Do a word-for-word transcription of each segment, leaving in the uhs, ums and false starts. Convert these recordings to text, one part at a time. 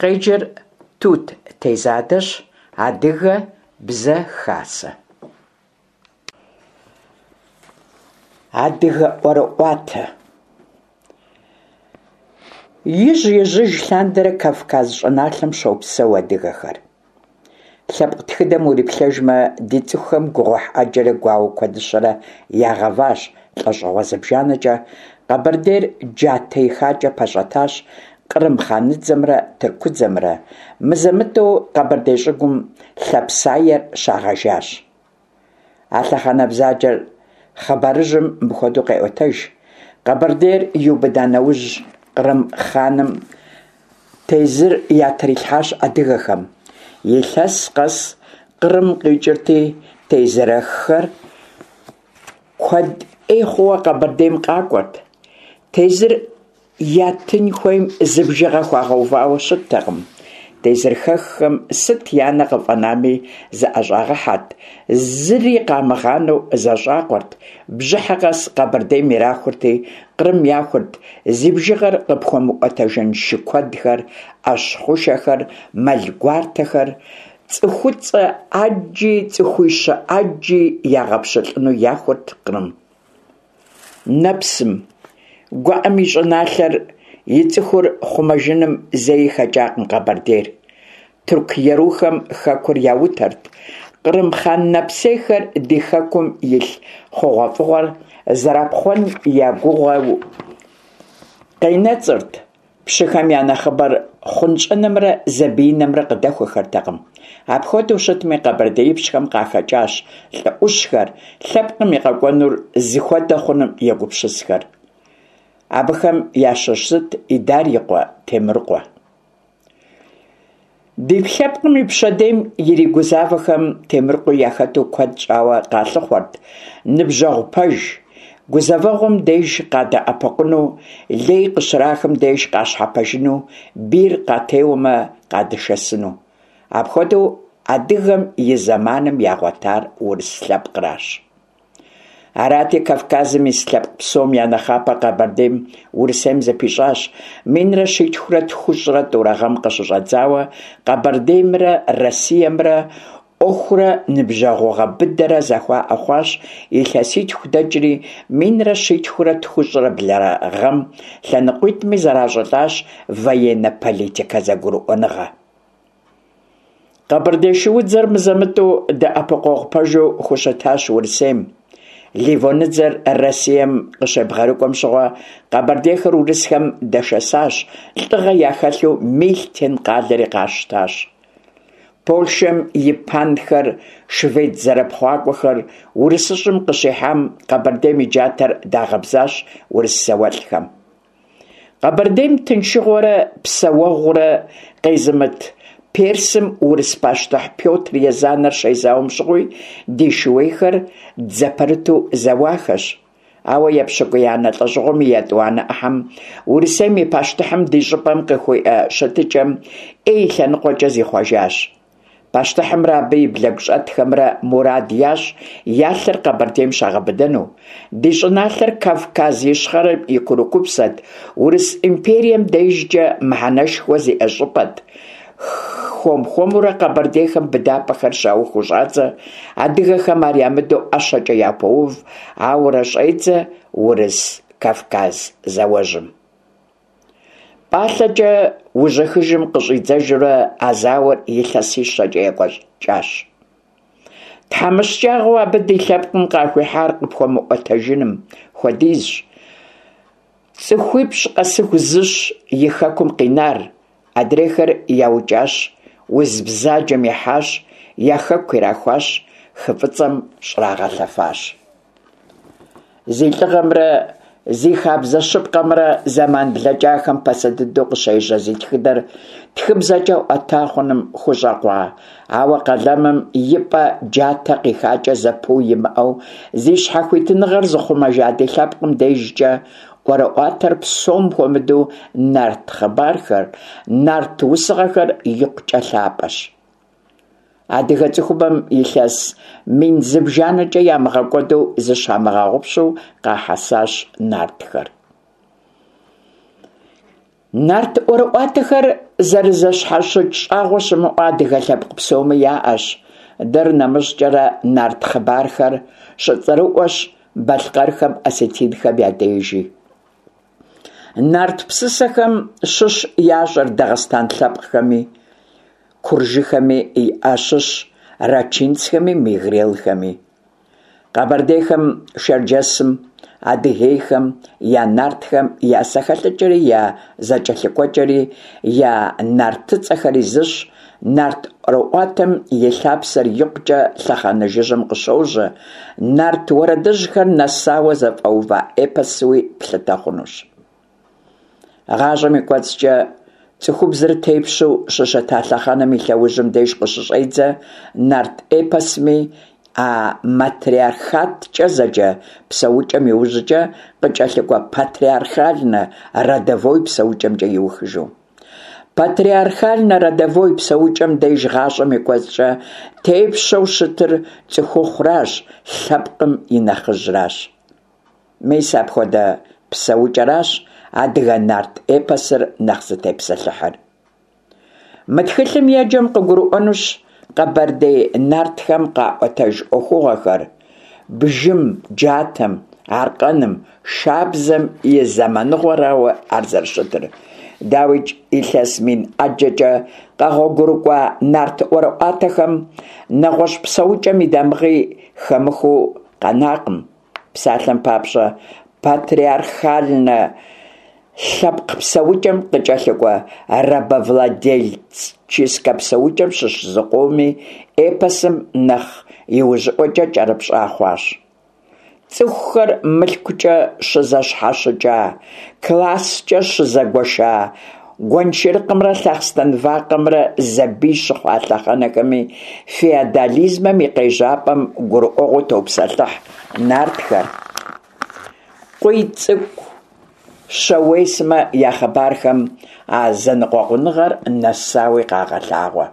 Къеджэр Тут Тезадэщ. Адыгэ Бзэ Хасэ. Адыгэ ӏуэрыӏуатэ. Ижь-ижьыж лъандэрэ Кавказ щӏыналъэм щопсэу адыгэхэр. Лъэпкъ тхыдэм уриплъэжмэ, ди цӏыхухэм гугъуехь ӏэджэрэ гуауэ куэдыщэрэ ягъэващ, лӏэщӏыгъуэ зыбжанэкӏэ Къэбэрдейр джатэ ихакӏэ пэщӏэтащ Кърым хъаныдзэмрэ тыркудзэмрэ, мызэ-мытӏэу къэбэрдей щӏыгум лъапсаер щагъэжащ. А лъэхъэнэ бзаджэр хъыбарыжьым мыпхуэдэу къеӏуэтэж: Къэбэрдейр иубыда нэужь, кърым хъаным тезыр ятрилъхьащ адыгэхэм. Илъэс къэс Кърым къикӏырти, тезырэххэр куэд ӏей хъууэ Къэбэрдейм къакӏуэрт. Тезыр ятын хуейм зы бжыгъэ хуагъэувауэ щыттэкъым. Тезырхэххэм сыт я нэ къыфӏэнами зыӏэщӏагъэхьэрт, зыри къамыгъанэу зэщӏакъуэрт, бжьыхьэ къэс Къэбэрдейм ирахурти, Кърым яхурт зи бжыгъэр къыпхуэмыӏуэтэжын шы куэдхэр, ӏэщ хъушэхэр, мэл гуартэхэр, цӏыхуцӏэ ӏэджи цӏыхуищэ ӏэджи ягъэпщылӏыну яхурт Кърым. Нэпсым, гуӏэм и щӏыналъэр, и цӏыхур хъумэжыным зэи хэкӏакъым Къэбэрдейр. Тырку ерухэм хэкур яутэрт, кърым хъан нэпсейхэр ди хэкум илъ хъугъуэфӏыгъуэр зэрапхъуэн я гугъэу къенэцӏырт. Пщыхэм я нэхъыбэр хъунщӏэнымрэ зэбиинымрэ къыдэхуэхэртэкъым. Апхуэдэу щытми, къэбэрдеипщхэм къахэкӏащ лӏы ӏущхэр, лъэпкъым и къэкӏуэнур зыхуэдэ хъуным егупсысхэр. Абыхэм ящыщ зыт Идар и къуэ Темрыкъуэ. Ди лъэпкъым и пщэдейм иригузавэхэм Темрыкъуи яхэту куэд щӏауэ къалъыхъуэрт ныбжьэгъу пэж, гузэвэгъуэм деж къадэӏэпыкъуну, лей къыщрахым деж къащхьэпэжыну, бийр къатеуэмэ, къадышэсыну. Апхуэдэу адыгэм и зэманым ягъуэтар урыс лъэпкъращ. Арати, Кавказым ис лъэпкъ псом я нэхъапэ Къэбэрдейм Урысейм зыпищӏащ. Минрэ щитхурэ тхущӏрэ тӏурэ гъэм къыщыщӏэдзауэ Къэбэрдеймрэ Россиемрэ ӏуэхурэ ныбжьэгъугъэ быдэрэ зэхуаӏэ хъуащ. Илъэситху дэкӏри, минрэ щитхурэ тхущӏрэ блырэ гъэм лъэныкъуитӏми зэращӏылӏащ военно-политикэ зэгурыӏуэныгъэ. Къэбэрдей шуудзэр мызэ-мытӏэу дэӏэпыкъуэгъу пэжу хущытащ Урысейм. Ливоныдзэр Россием къыщебгъэрыкӏуэм щыгъуэ къэбэрдейхэр урысхэм дэшэсащ, лӏыгъэ яхэлъу Мильтен къалэри къащтащ. Польшэм и панхэр, швед зэрыпхъуакӏуэхэр урысыщӏым къыщихьам Къэбэрдейм и джатэр дагъэбзащ урыс зауэлӏхэм. Къэбэрдейм тыншыгъуэрэ псэуэгъурэ къезымыт Персым урыс пащтыхь Пётр Езанэр щезауэм щыгъуи ди шууейхэр дзэпэрыту зэуахэщ. Ауэ епщыкӏуиянэ лӏэщӏыгъуэм и етӏуанэ ӏыхьэм Урысейм и пащтыхьым ди щӏыпӏэм къыхуиӏэ щытыкӏэм ӏей и лъэныкъуэкӏэ зихъуэжащ. Пащтыхьымрэ абы и блэгущӏэтхэмрэ мурад ящӏ я лъэр Къэбэрдейм щагъэбыдэну. Ди щӏыналъэр Кавказ Ищхъэрэм и курыкупсэт, Урыс империем дежкӏэ мыхьэнэшхуэ зиӏэ щӏыпӏэт. Хуэм-хуэмурэ къэбэрдейхэм быдапӏэхэр щаухуэу щӏадзэ, адыгэхэм ар ямыдэу ӏэщэкӏэ япоув, ауэрэ щӏедзэ Урыс-Кавказ зауэжьым. Пӏалъэкӏэ ужьыхыжым къыщӏидзэжурэ а зауэр илъэсищэкӏэ екӏуэкӏащ. Тхьэмыщкӏагъэу абы ди лъэпкъым къахуихьар къыпхуэмыӏуэтэжыным хуэдизщ. ЦӀыхуипщӏ къэсыху зыщ и хэкум къинар, адрейхэр яукӏащ, уз бзаджэм ихьащ, я хэку ирахуащ, хы Фӏыцӏэм щӏрагъэлъэфащ. Зи лӏыгъэмрэ зи хабзэ щыпкъэмрэ зэман блэкӏахэм пасэ дыдэу къыщежьэ зи тхыдэр тхыбзэкӏэ ӏуэта хъуным хущӏэкъуа, ауэ къалэмым и пӏэ джатэ къихакӏэ зэпыу имыӏэу зи щхьэхуитыныгъэр зыхъумэжа ди лъэпкъым дежкӏэ ӏуэрыӏуатэр псом хуэмыдэу нарт хъыбархэр, нарт усыгъэхэр икъукӏэ лъапӏэщ. Адыгэ цӏыхубэм илъэс мин зыбжанэкӏэ ямыгъэкӏуэду зыщамыгъэгъупщэу къахьэсащ нартхэр. Нарт ӏуэрыӏуатэхэр зэрызэщхьэщыкӏ щӏагъуэ щымыӏэу адыгэ лъэпкъ псоми яӏэщ. Дэр нэмыщӏкӏэрэ нарт хъыбархэр щыцӏэрыӏуэщ балъкъэрхэм, осетинхэм я дежи. Нарт псысэхэм щыщ ящӏэр дагъыстэн лъэпкъхэми, куржыхэми ящыщ рачинцхэми, мегрелхэми. Къэбэрдейхэм, Шэрджэсым, адыгейхэм я нартхэм я зэхэлъыкӏэри, я зэкӏэлъыкӏуэкӏэри, я нартыцӏэхэри зыщ. Нарт ӏуэрыӏуатэм и лъапсэр икъукӏэ лъэхъэнэ жыжьэм къыщожьэ, нарт уэрэдыжьхэр нэсауэ зэфӏэува эпосуи плъытэ хъунущ. Гъащӏэм и кӏуэцӏкӏэ цӏыхубзыр тепщэу щыщыта лъэхъэнэм и лъэужьым деж къыщыщӏедзэ нарт эпосми, а матриархаткӏэ зэджэ псэукӏэм иужькӏэ къыкӏэлъыкӏуэ патриархально-родовой псэукӏэмкӏэ иухыжу. Патриархально-родовой псэукӏэм деж гъащӏэм и кӏуэцӏкӏэ тепщэу щытыр цӏыхухъуращ, лъэпкъым и нэхъыжьращ. Мис апхуэдэ псэукӏэращ адыгэ нарт эпосыр нэхъ зытепсэлъыхьыр. Мы тхылъым еджэм къыгурыӏуэнущ къэбэрдей нартхэм къаӏуэтэж ӏуэхугъуэхэр бжым, джатэм, аркъэным, шабзэм и зэманыгъуэрауэ ар зэрыщытыр. Дауикӏ, илъэс мин ӏэджэкӏэ къэгъуэгурыкӏуа нарт ӏуэрыӏуатэхэм нэгъуэщӏ псэукӏэм и дамыгъи хэмыхуэу къэнакъым. Псалъэм папщӏэ, патриархальнэ лъэпкъ псэукӏэм къыкӏэлъыкӏуэ рабовладельческэ псэукӏэм щыщ зыкъоми эпосым нэхъ иужьыӏуэкӏэ кӏэрыпщӏа хъуащ. Цӏыхухэр мылъкукӏэ щызэщхьэщыкӏа, класскӏэ щызэгуэша, гуэншэрыкъымрэ лъахъстэн вакъэмрэ зэбий щыхъуа лъэхъэнэхэми феодализмэм и къежьапӏэм гурыӏуэгъуэу топсэлъыхь нартхэр. Къуийцӏыкӏу, Щауей сымэ я хъыбархэм а зэныкъуэкъуныгъэр нэсауи къагъэлъагъуэ.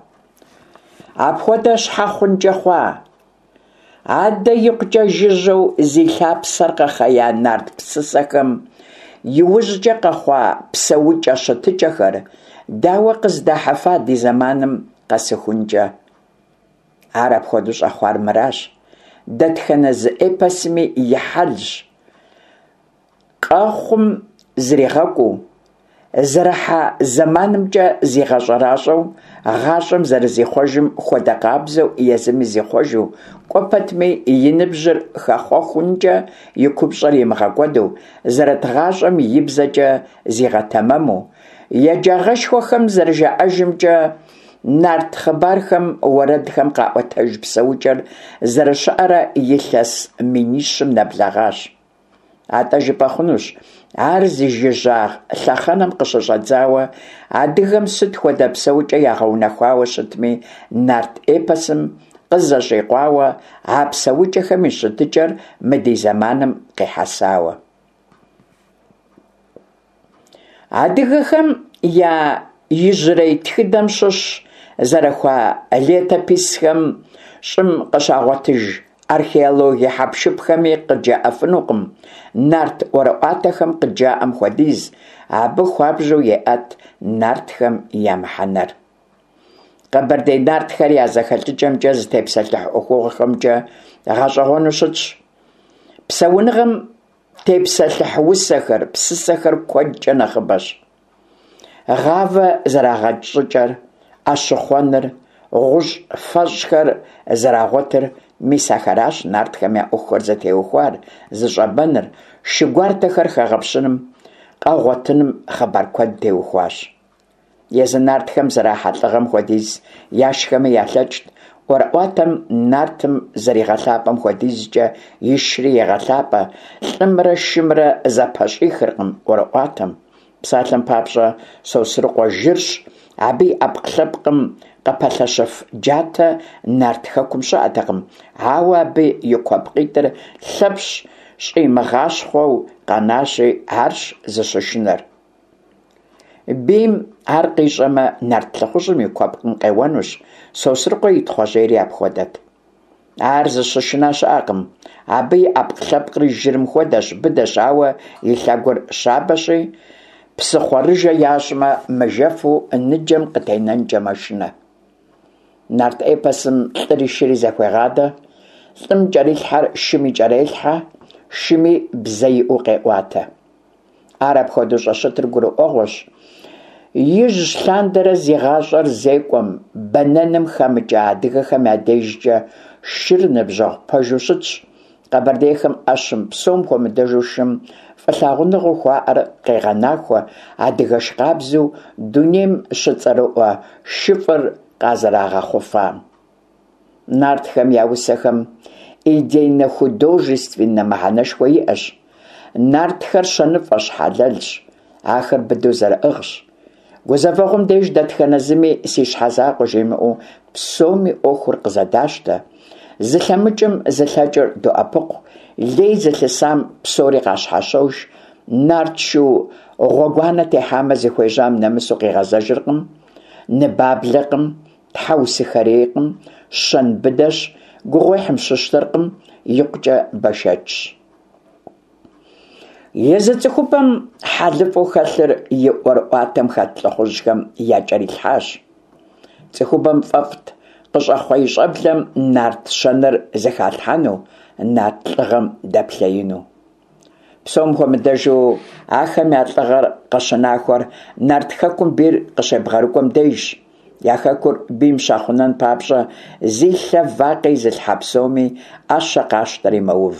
Апхуэдэ щхьэ хъункӏэ хъуа? Адэ икъукӏэ жыжьэу зи лъапсэр къэхъея нарт псысэхэм иужькӏэ къэхъуа псэукӏэ-щытыкӏэхэр дауэ къыздахьыфа ди зэманым къэсыхункӏэ? Ар апхуэдэу щӏэхъуар мыращ: дэтхэнэ зы эпосми и хьэлщ къэхъум зригъэкӏуу, зэрыхьэ зэманымкӏэ зигъэщӏэращӏэу, гъащӏэм зэрызихъуэжым хуэдэ къабзэу езыми зихъуэжу, кӏуэ пэтми и ныбжьыр хэхъуэхункӏэ и купщӏэр имыгъэкӏуэду, зэрыт гъащӏэм и бзэкӏэ зигъэтэмэму. Еджагъэшхуэхэм зэрыжаӏэжымкӏэ, нарт хъыбархэм, уэрэдхэм къаӏуэтэж псэукӏэр зэрыщыӏэрэ илъэс минищым нэблэгъащ. Атӏэ жыпӏэ хъунущ, ар зи жыжьагъ лъэхъэнэм къыщыщӏэдзауэ адыгэм сыт хуэдэ псэукӏэ ягъэунэхуауэ щытми, нарт эпосым къызэщӏикъуауэ, а псэукӏэхэм и щытыкӏэр мы ди зэманым къихьэсауэ. Адыгэхэм я ижьрей тхыдэм щыщ зэрыхуа летописхэм щӏым къыщагъуэтыж археологие хьэпшыпхэми къыджаӏэфынукъым нарт ӏуэрыӏуатэхэм къыджаӏэм хуэдиз, абы хуабжьу еӏэт нартхэм я мыхьэнэр. Къэбэрдей нартхэр я зэхэлъыкӏэмкӏэ, зытепсэлъыхь ӏуэхугъуэхэмкӏэ гъэщӏэгъуэну щытщ. Псэуныгъэм тепсэлъыхь усэхэр, псысэхэр куэдкӏэ нэхъыбэщ. Гъавэ зэрагъэкӏ щӏыкӏэр, ӏэщыхъуэныр, гъущӏ фэщӏхэр зэрагъуэтыр – мис ахэращ нартхэм я ӏуэхухэр зытеухуар, зыщӏэбэныр, шы гуартэхэр хэгъэпщыным, къэгъуэтыным хъыбар куэд теухуащ. Езы нартхэм зэрахьа лӏыгъэм хуэдиз яшхэми ялъэкӏт. ӏуэрыӏуатэм нартым зэригъэлъапӏэм хуэдизкӏэ ишри егъэлъапӏэ, лӏымрэ шымрэ зэпэщӏихыркъым ӏуэрыӏуатэм. Псалъэм папщӏэ, Сосрыкъуэ жырщ, абы и ӏэпкълъэпкъым къыпэлъэщыф джатэ нарт хэкум щыӏэтэкъым, ауэ абы и куэпкъитӏыр Лъэпщ щӏимыгъащхъуэу къэнащи, арщ зыщышынэр. Бийм ар къищӏэмэ, нарт лӏыхъужьым и куэпкъым къеуэнущ. Сосрыкъуэ и Тхъуэжьейри апхуэдэт. Ар зыщышынэ щыӏэкъым. Абы и ӏэпкълъэпкъри жырым хуэдэщ, быдэщ, ауэ и лъэгур щабэщи, Псыхъуэрыжэ ящӏмэ, мыжэфу ныджэм къытенэнкӏэ мэшынэ. Нарт эпосым лӏыри шыри зэхуегъадэ, лӏым кӏэрилъхьэр шыми кӏэрелъхьэ, шыми бзэ иӏэу къеӏуатэ. Ар апхуэдэу щӏыщытыр гурыӏуэгъуэщ. Ижь лъандэрэ зи гъащӏэр зекӏуэм, бэнэным хэмыкӏа адыгэхэм я дежкӏэ шыр ныбжьэгъу пэжу щытщ. Къэбэрдейхэм ӏэщым, псом хуэмыдэжу шым, фӏылъагъуныгъэу хуаӏэр къегъэнахуэ адыгэш къабзэу дунейм щыцӏэрыӏуэ шыфӏыр къазэрагъэхъуфам. Нартхэм я усэхэм идейнэ-художественнэ мыхьэнэшхуэ иӏэщ. Нартхэр щэныфӏэщ, хьэлэлщ, ахэр быдэу зэрыӏыгъщ. Гузэвэгъуэм деж дэтхэнэ зыми си щхьэ закъуэ жимыӏэу псоми ӏуэхур къызэдащтэ. Зылъэмыкӏым зылъэкӏыр доӏэпыкъу, лей зылъысам псори къащхьэщож, нарт шу гъуэгуанэ техьамэ зыхуежьам нэмысу къигъэзэжыркъым, ныбаблэкъым, тхьэусыхэрейкъым, щэн быдэщ, гугъуехьым щыщтэркъым, икъукӏэ бэшэчщ. Езы цӏыхубэм хьэлыфӏу хэлъыр и ӏуэрыӏуатэм хэт лӏыхъужьхэм якӏэрилъхьащ. Цӏыхубэм фӏэфӏт къыщӏэхъуэ и щӏэблэм нарт щэныр зыхалъхьэну, нарт лӏыгъэм дэплъеину. Псом хуэмыдэжу ахэм я лӏыгъэр къыщынахуэр нарт хэкум бийр къыщебгъэрыкӏуэм дежщ. Я хэкур бийм щахъумэн папщӏэ зи лъэ вакъэ изылъхьэ псоми ӏэщэ къащтэри мэув.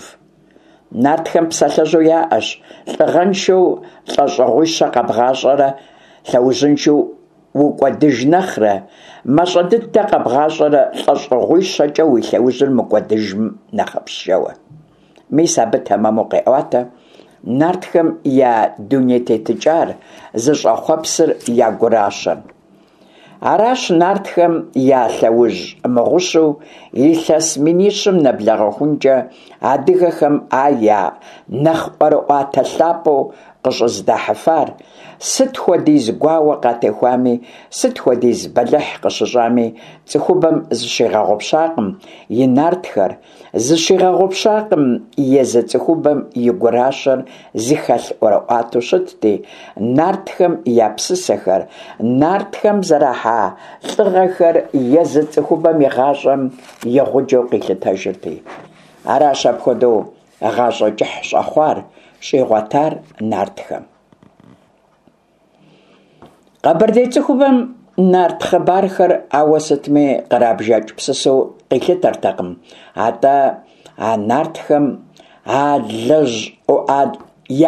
Нартхэм псалъэжьу яӏэщ: лӏыгъэншэу лӏэщӏыгъуищэ къэбгъащӏэрэ лъэужьыншэу укӏуэдыж нэхърэ, мащӏэ дыдэ къэбгъащӏэрэ лӏэщӏыгъуищэкӏэ уи лъэужьыр мыкӏуэдыжым нэхъыфӏщ жэуэ. Мис абы тэмэму къеӏуатэ нартхэм я дуней тетыкӏар, зыщӏэхъуэпсыр, я гуращэр. Аращ нартхэм я лъэужь мыгъущу илъэс минищым нэблэгъэхункӏэ адыгэхэм ар я нэхъ ӏуэрыӏуатэ лъапӏэу къыщӏыздахьыфар, сыт хуэдиз гуауэ къатехуами, сыт хуэдиз бэлыхь къыщыщӏами, цӏыхубэм зыщигъэгъупщакъым и нартхэр, зыщигъэгъупщакъым езы цӏыхубэм и гуращэр зыхэлъ ӏуэрыӏуатэу щытти, нартхэм я псысэхэр, нартхэм зэрахьа лӏыгъэхэр езы цӏыхубэм и гъащӏэм и гъуджэу къилъытэжырти. Аращ апхуэдэу гъащӏэ кӏыхь щӏэхъуар, щӏигъуэтар нартхэм. Къэбэрдей цӏыхубэм нарт хъыбархэр ауэ сытми кърабжэкӏ псысэу къилъытэртэкъым, атӏэ а нартхэм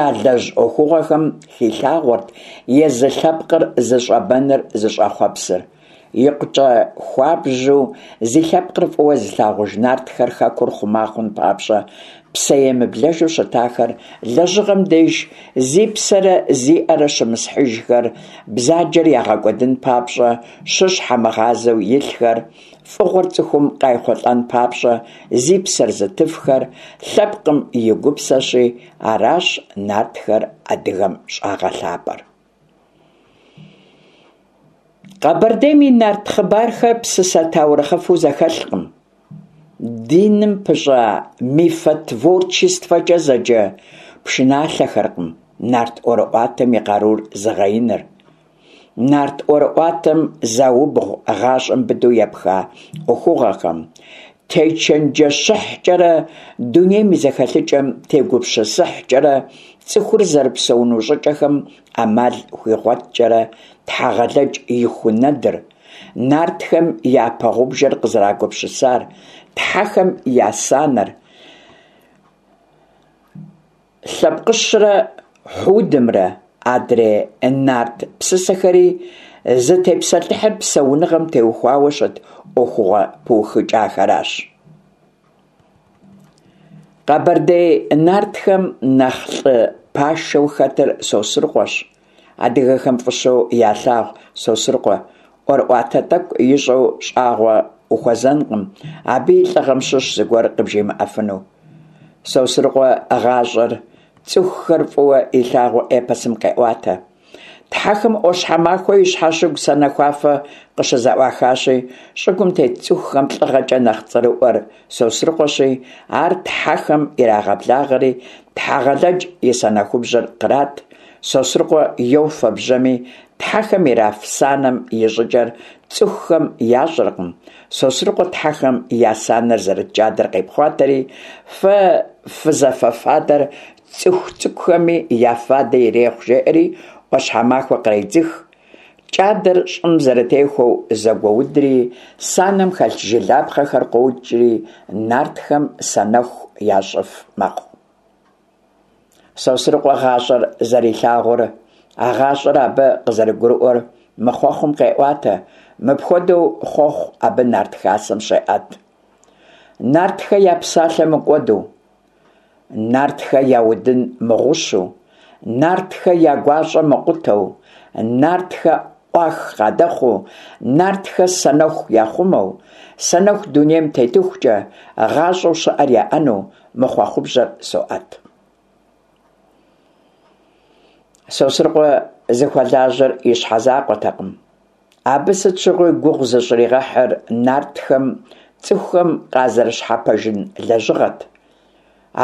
ялэжь ӏуэхугъуэхэм хилъагъуэрт езы лъэпкъыр зыщӏэбэныр, зыщӏэхъуэпсыр. Икъукӏэ хуабжьу зи лъэпкъыр фӏыуэ зылъагъуж нартхэр хэкур хъума хъун папщӏэ псэемыблэжу щытахэр, лэжьыгъэм деж зи псэрэ зи ӏэрэ щымысхьыжхэр, бзаджэр ягъэкӏуэдын папщӏэ шыщхьэмыгъазэу илъхэр, фӏыгъуэр цӏыхум къайхъулӏэн папщӏэ зи псэр зытыфхэр лъэпкъым и гупсэщи, аращ нартхэр адыгэм щӏагъэлъапӏэр. Къэбэрдейм и нарт хъыбархэр псысэ таурыхъыфэу зэхэлъкъым. Диным пыщӏа мифотворчествэкӏэ зэджэ пшыналъэхэркъым нарт ӏуэрыӏуатэм и къарур зыгъэиныр. Нарт ӏуэрыӏуатэм заубгъу гъащӏэм быдэу епха ӏуэхугъуэхэм, течэнджэщыхькӏэрэ, дунейм и зэхэлъыкӏэм тегупсысыхькӏэрэ, цӏыхур зэрыпсэуну щӏыкӏэхэм ӏэмал хуигъуэткӏэрэ Тхьэгъэлэдж и ху нэдыр, нартхэм япэ гъубжэр къызэрагупсысар, тхьэхэм я санэр, Лъэпкъыщрэ Хьудымрэ, адрей нарт псысэхэри зытепсэлъыхьыр псэуныгъэм теухуауэ щыт ӏуэхугъуэ пыухыкӏахэращ. Къэбэрдей нартхэм нэхъ лӏы пашэу хэтыр Сосрыкъуэщ. Адыгэхэм фӏыщэу ялъагъу Сосрыкъуэ. ӏуэрыӏуатэ тӏэкӏу ищӏэу щӏагъуэ ухуэзэнкъым, абы и лӏыгъэм щыщ зыгуэр къыбжимыӏэфыну. Сосрыкъуэ гъащӏэр, цӏыхухэр фӏыуэ илъагъуу эпосым къеӏуатэ. Тхьэхэм ӏуащхьэмахуэ и щхьэщыгу санэхуафэ къыщызэӏуахащи, щӏыгум тет цӏыхухэм лӏыгъэкӏэ нэхъ цӏэрыӏуэр Сосрыкъуэщи, ар тхьэхэм ирагъэблагъэри, Тхьэгъэлэдж и санэхубжьэр кърат, Сосрыкъуэ йофэ бжьэми, тхьэхэм ираф санэм и щӏыкӏэр цӏыхухэм ящӏэркъым. Сосрыкъуэ тхьэхэм я санэр зэрыт кӏадэр къепхъуатэри, фэ фызэфэ фадэр цӏыху цӏыкӏухэми я фадэ ирехъу, жеӏэри ӏуащхьэмахуэ къредзых. Кӏадэр щӏым зэрытехуэу зэгуоудри, санэм хэлъ жылапхъэхэр къокӏри, нартхэм санэху ящӏыф мэхъу. Сосрыкъуэ гъащӏэр зэрилъагъур, а гъащӏэр абы къызэрыгурыӏуэр мы хъуэхъум къеӏуатэ. Мыпхуэдэу хъуэхъу абы нарт хасэм щеӏэт. Нартхэ я псалъэ мыкӏуэду, нартхэ я удын мыгъущу, нартхэ я гуащӏэ мыкъутэу, нартхэ ӏуах къадэхъуу, нартхэ санэху яхъумэу, санэху дунейм тетыхукӏэ гъащӏэу щыӏэр яӏэну мы хъуэхъубжьэр соӏэт. Сосрыкъуэ зыхуэлажьэр и щхьэ закъуэтэкъым. Абы сыт щыгъуи гугъу зыщӏригъэхьыр нартхэм цӏыхухэм къазэрыщхьэпэжын лэжьыгъэт.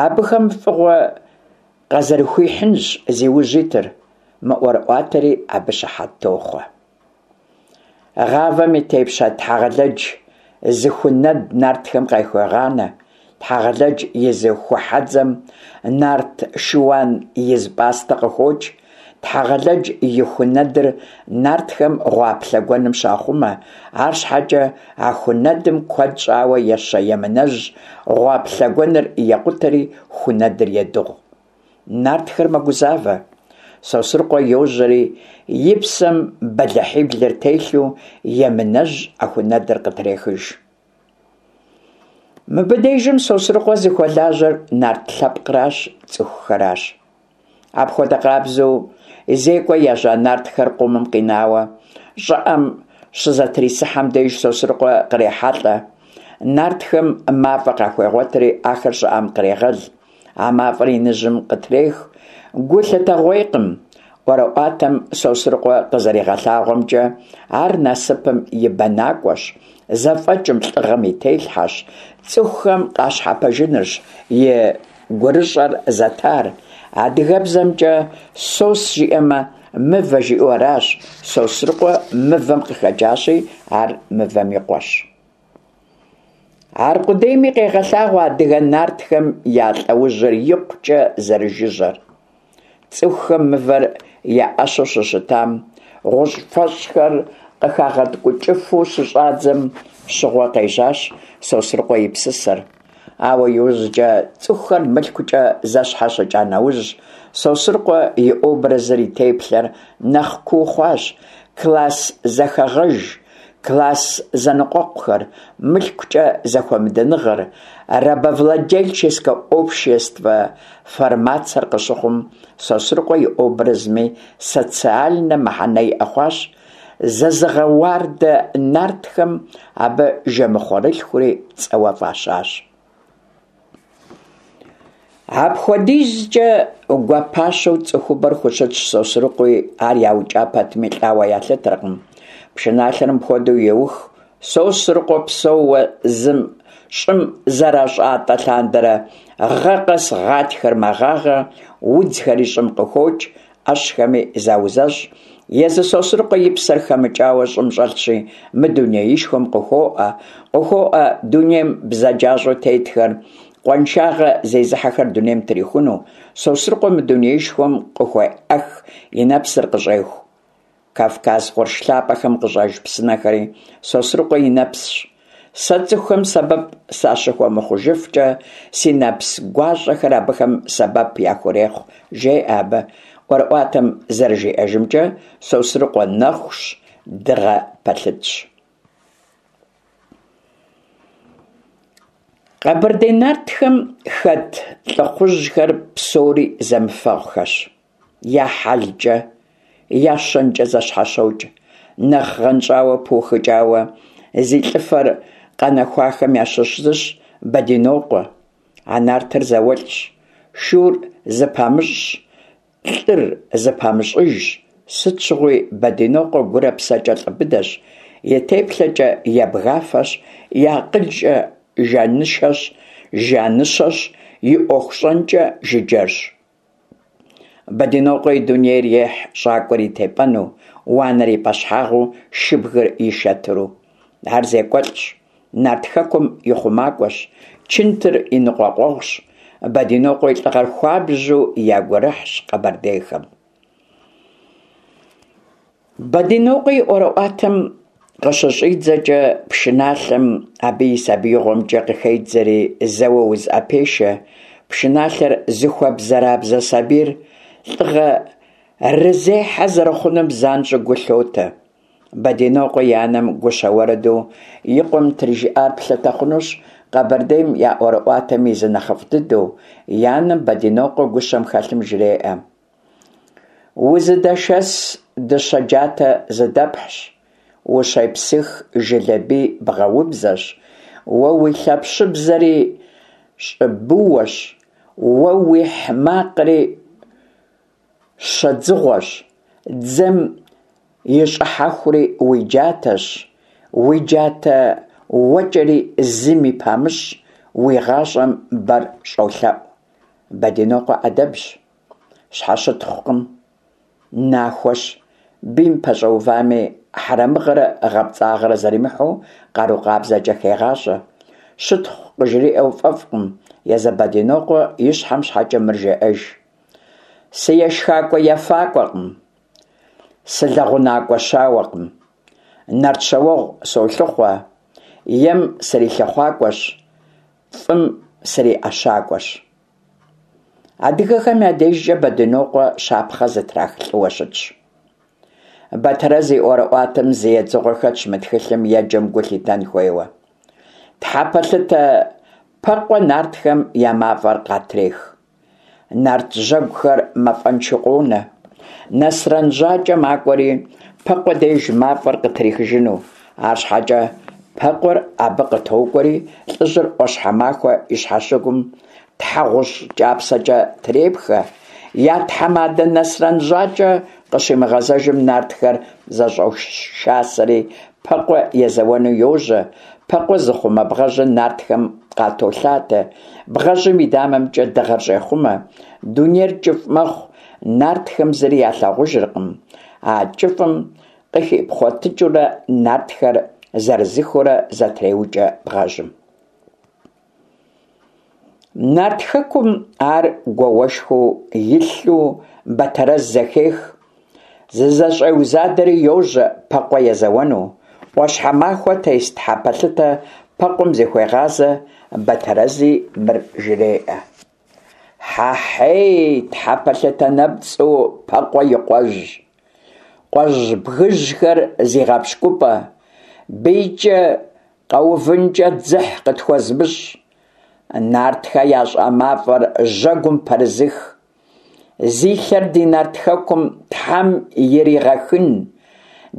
Абыхэм фӏыгъуэ къазэрыхуихьынщ зи ужь итыр, мы ӏуэрыӏуатэри абы щыхьэт тохъуэ. Гъавэм и тепщэ Тхьэгъэлэдж зы ху нэд нартхэм къахуегъанэ. Тхьэгъэлэдж и зы ху хьэдзэм нарт шыуан из пӏастэ къыхокӏ. Тхьэгъэлэдж и ху нэдыр нартхэм гъуаплъэ гуэным щахъумэ. Арщхьэкӏэ а ху нэдым куэд щӏауэ ещэ Емынэжь гъуаплъэ гуэныр екъутэри ху нэдыр едыгъу. Нартхэр мэгузавэ. Сосрыкъуэ йожьэри и псэм бэлыхьиблыр телъу Емынэжь а ху нэдыр къытрехыж. Мыбы дежым Сосрыкъуэ зыхуэлажьэр нарт лъэпкъращ, цӏыхухэращ. Апхуэдэ къабзэу зекӏуэ ежьа нартхэр къумым къинауэ щӏыӏэм щызэтрисыхьэм деж Сосрыкъуэ кърехьэлӏэ. Нартхэм мафӏэ къахуегъуэтри ахэр щӏыӏэм кърегъэл. А мафӏэр иныжьым къытрех. Гу лъытэгъуейкъым. ӏуэрыӏуатэм Сосрыкъуэ къызэригъэлъагъуэмкӏэ, ар насыпым и бэнакӏуэщ, зэфӏэкӏым, лӏыгъэм и телъхьэщ, цӏыхухэм къащхьэпэжынырщ и гурыщӏэр зэтар. Адыгэбзэмкӏэ «сос» жиӏэмэ, мывэ жиӏэу аращ. Сосрыкъуэ мывэм къыхэкӏащи, ар мывэм и къуэщ. Аркъудейми къегъэлъагъуэ адыгэ нартхэм я лӏэужьыр икъукӏэ зэрыжыжьэр. Цӏыхухэм мывэр я ӏэщэу щыщытам, гъущӏфэщӏхэр къыхагъэткӏукӏыфу щыщӏадзэм щыгъуэ къежьащ Сосрыкъуэ и псысэр. Ауэ иужькӏэ цӏыхухэр мылъкукӏэ зэщхьэщыкӏа нэужь, Сосрыкъуэ и образыр, и теплъэр нэхъ куу хъуащ, класс зэхэгъэж, класс зэныкъуэкъухэр, мылъкукӏэ зэхуэмыдэныгъэр, рабовладельческэ обществэ формацэр къыщыхъум, Сосрыкъуэ и образми социальнэ мыхьэнэ иӏэ хъуащ. Зызыгъэуардэ нартхэм абы жэмыхъуэрылъхури цӏэуэ фӏащащ. Апхуэдизкӏэ гуапащэу цӏыхубэр хущытщ Сосрыкъуи, ар яукӏа пэтми лӏауэ ялъытэркъым. Пшыналъэр мыпхуэдэу еух: Сосрыкъуэ псэууэ зым щӏым зэрыщӏатӏэ лъандэрэ гъэ къэс гъатхэр мэгъагъэ, удзхэри щӏым къыхокӏ, ӏэщхэми заузэщӏ. Езы Сосрыкъуэ и псэр хэмыкӏауэ щӏым щӏэлъщи, мы дунеишхуэм къыхуоӏэ, къыхуоӏэ дунейм бзаджащӏэу тетхэр, къуаншагъэ зезыхьэхэр дунейм трихуну. Сосрыкъуэ мы дунеишхуэм къыхуеӏэх и нэпсыр къыщӏеху. Кавказ къурш лъапэхэм къыщӏэж псынэхэри Сосрыкъуэ и нэпсщ. Сэ цӏыхухэм сэбэп сащыхуэмыхъужыфкӏэ, си нэпс гуащӏэхэр абыхэм сэбэп яхурехъу, жеӏэ абы. ӏуэрыӏуатэм зэрыжиӏэжымкӏэ, Сосрыкъуэ нэхущ, дыгъэ пэлъытщ. Къэбэрдей нартхэм хэт лӏыхъужьхэр псори зэмыфэгъухэщ. Я хьэлкӏэ, я щэнкӏэ зэщхьэщокӏ. Нэхъ гъэнщӏауэ, пыухыкӏауэ зи лӏыфэр къэнэхуахэм ящыщ зыщ Бэдинокъуэ. А нартыр зауэлӏщ, шур зыпамыщӏщ, лӏыр зыпамыщӏыжщ. Сыт щыгъуи Бэдинокъуэ гурэ псэкӏэ лӏы быдэщ, и теплъэкӏэ ябгафэщ, и акъылкӏэ жаныщэщ, жаныщэщ, и ӏуэху щӏэнкӏэ жыджэрщ. Бэдынокъуэ и дунейр ехь щӏакӏуэр и тепӏэну, уанэр и пӏэщхьагъыу, шыбгыр и шэтыру. Ар зекӏуэлӏщ, Нарт Хэкум и хъумакӏуэщ, чынтыр и ныкъуэкъуэгъущ. Бэдынокъуэ и лӏыгъэр хуабжьу я гурыхьщ къэбэрдейхэм. Бэдынокъуэ и ӏуэрыӏуатэм къыщыщӏидзэкӏэ пшыналъэм абы и сабиигъуэмкӏэ къыхедзэри зэуэ узыӏэпешэ, пшыналъэр зыхуэбзэрабзэ сабийр лӏыгъэрызехьэ зэрыхъунум занщӏэу гу лъотэ. Бэдынокъуэ и анэм гущэ уэрэду и къуэм трижыӏар плъытэ хъунущ Къэбэрдейм я ӏуэрыӏуатэм и зы нэхъыфӏ дыдэу. И анэм Бэдынокъуэ гущэм хэлъым жреӏэ: Узыдэшэс дыщэ джатэ зыдэпхьщ, ущепсых жылэ бий бгъэубзэщ, уэ уи лъэпщыбзэри щӏыбыуэщ, уэ уихь макъри щэдзыгъуэщ, дзэм и щӏыхьэхури уи джатэщ, уи джатэ уэкӏэри зыми памыщӏ, уи гъащӏэм бэр щӏолъэӏу. Бэдынокъуэ ӏэдэбщ, щхьэщытхъукъым, нахуэщ, бийм пэщӏэувами, хьэрэмыгъэрэ гъэпцӏагъэрэ зэримыхьэу къару къабзэкӏэ хегъащӏэ. Щытхъу къыжриӏэу фӏэфӏкъым, езы Бэдынокъуэ и щхьэм щхьэкӏэ мыр жеӏэж: Сыешхакӏуэ-ефакӏуэкъым, сылэгъунакӏуэ щауэкъым, нарт щауэгъу солъыхъуэ, ем срилъыхъуакӏуэщ, фӏым сриӏэщакӏуэщ. Адыгэхэм я дежкӏэ Бэдынокъуэ щапхъэ зытрах лӏыуэ щытщ. Бэтэрэз и ӏуэрыӏуатэм зы едзыгъуэ хэтщ мы тхылъым еджэм гу лъитэн хуейуэ. Тхьэпэлъытэ Пэкъуэ нартхэм я мафӏэр къатрех. Нарт жьэгухэр мафӏэншэу къонэ. Нэсрэн Жьакӏэ макӏуэри Пэкъуэ деж мафӏэр къытрихыжыну. Арщхьэкӏэ Пэкъуэр абы къытокӏуэри лӏыжьыр ӏуащхьэмахуэ и щхьэщыгум тхьэгъущӏ кӏапсэкӏэ трепхэ. Я тхьэмадэ Нэсрэн Жьакӏэ къыщимыгъэзэжым нартхэр зэщӏошасэри Пэкъуэ езэуэну йожьэ. Пэкъуэ зыхъумэ бгъэжьыр нартхэм къатолъатэ. Бгъэжьым и дамэмкӏэ дыгъэр щӏехъумэ. Дунейр кӏыфӏ мэхъу, нартхэм зыри ялъагъужыркъым. А кӏыфӏым къыхипхъуэтыкӏыурэ нартхэр зырызыххэурэ зэтреукӏэ бгъэжьым. Нарт Хэкум ар гуауэшхуэу илъу Бэтэрэз зэхех. Зызэщӏеузадэри йожьэ Пэкъуэ езэуэну. ӏуащхьэмахуэ тес тхьэпэлъытэ Пэкъуэм зыхуегъазэ, Бэтэрэзи мыр жреӏэ: Хьэхьей, тхьэпэлъытэ нэпцӏу Пэкъуэ и къуэжь, къуэжь бгыжьхэр зи гъэпщкӏупӏэ, бийкӏэ къэувынкӏэ дзыхь къытхуэзымыщӏ, нартхэ ящӏа мафӏэр жьэгум пэрызых, зи лъэр ди Нарт Хэкум Тхьэм иригъэхын,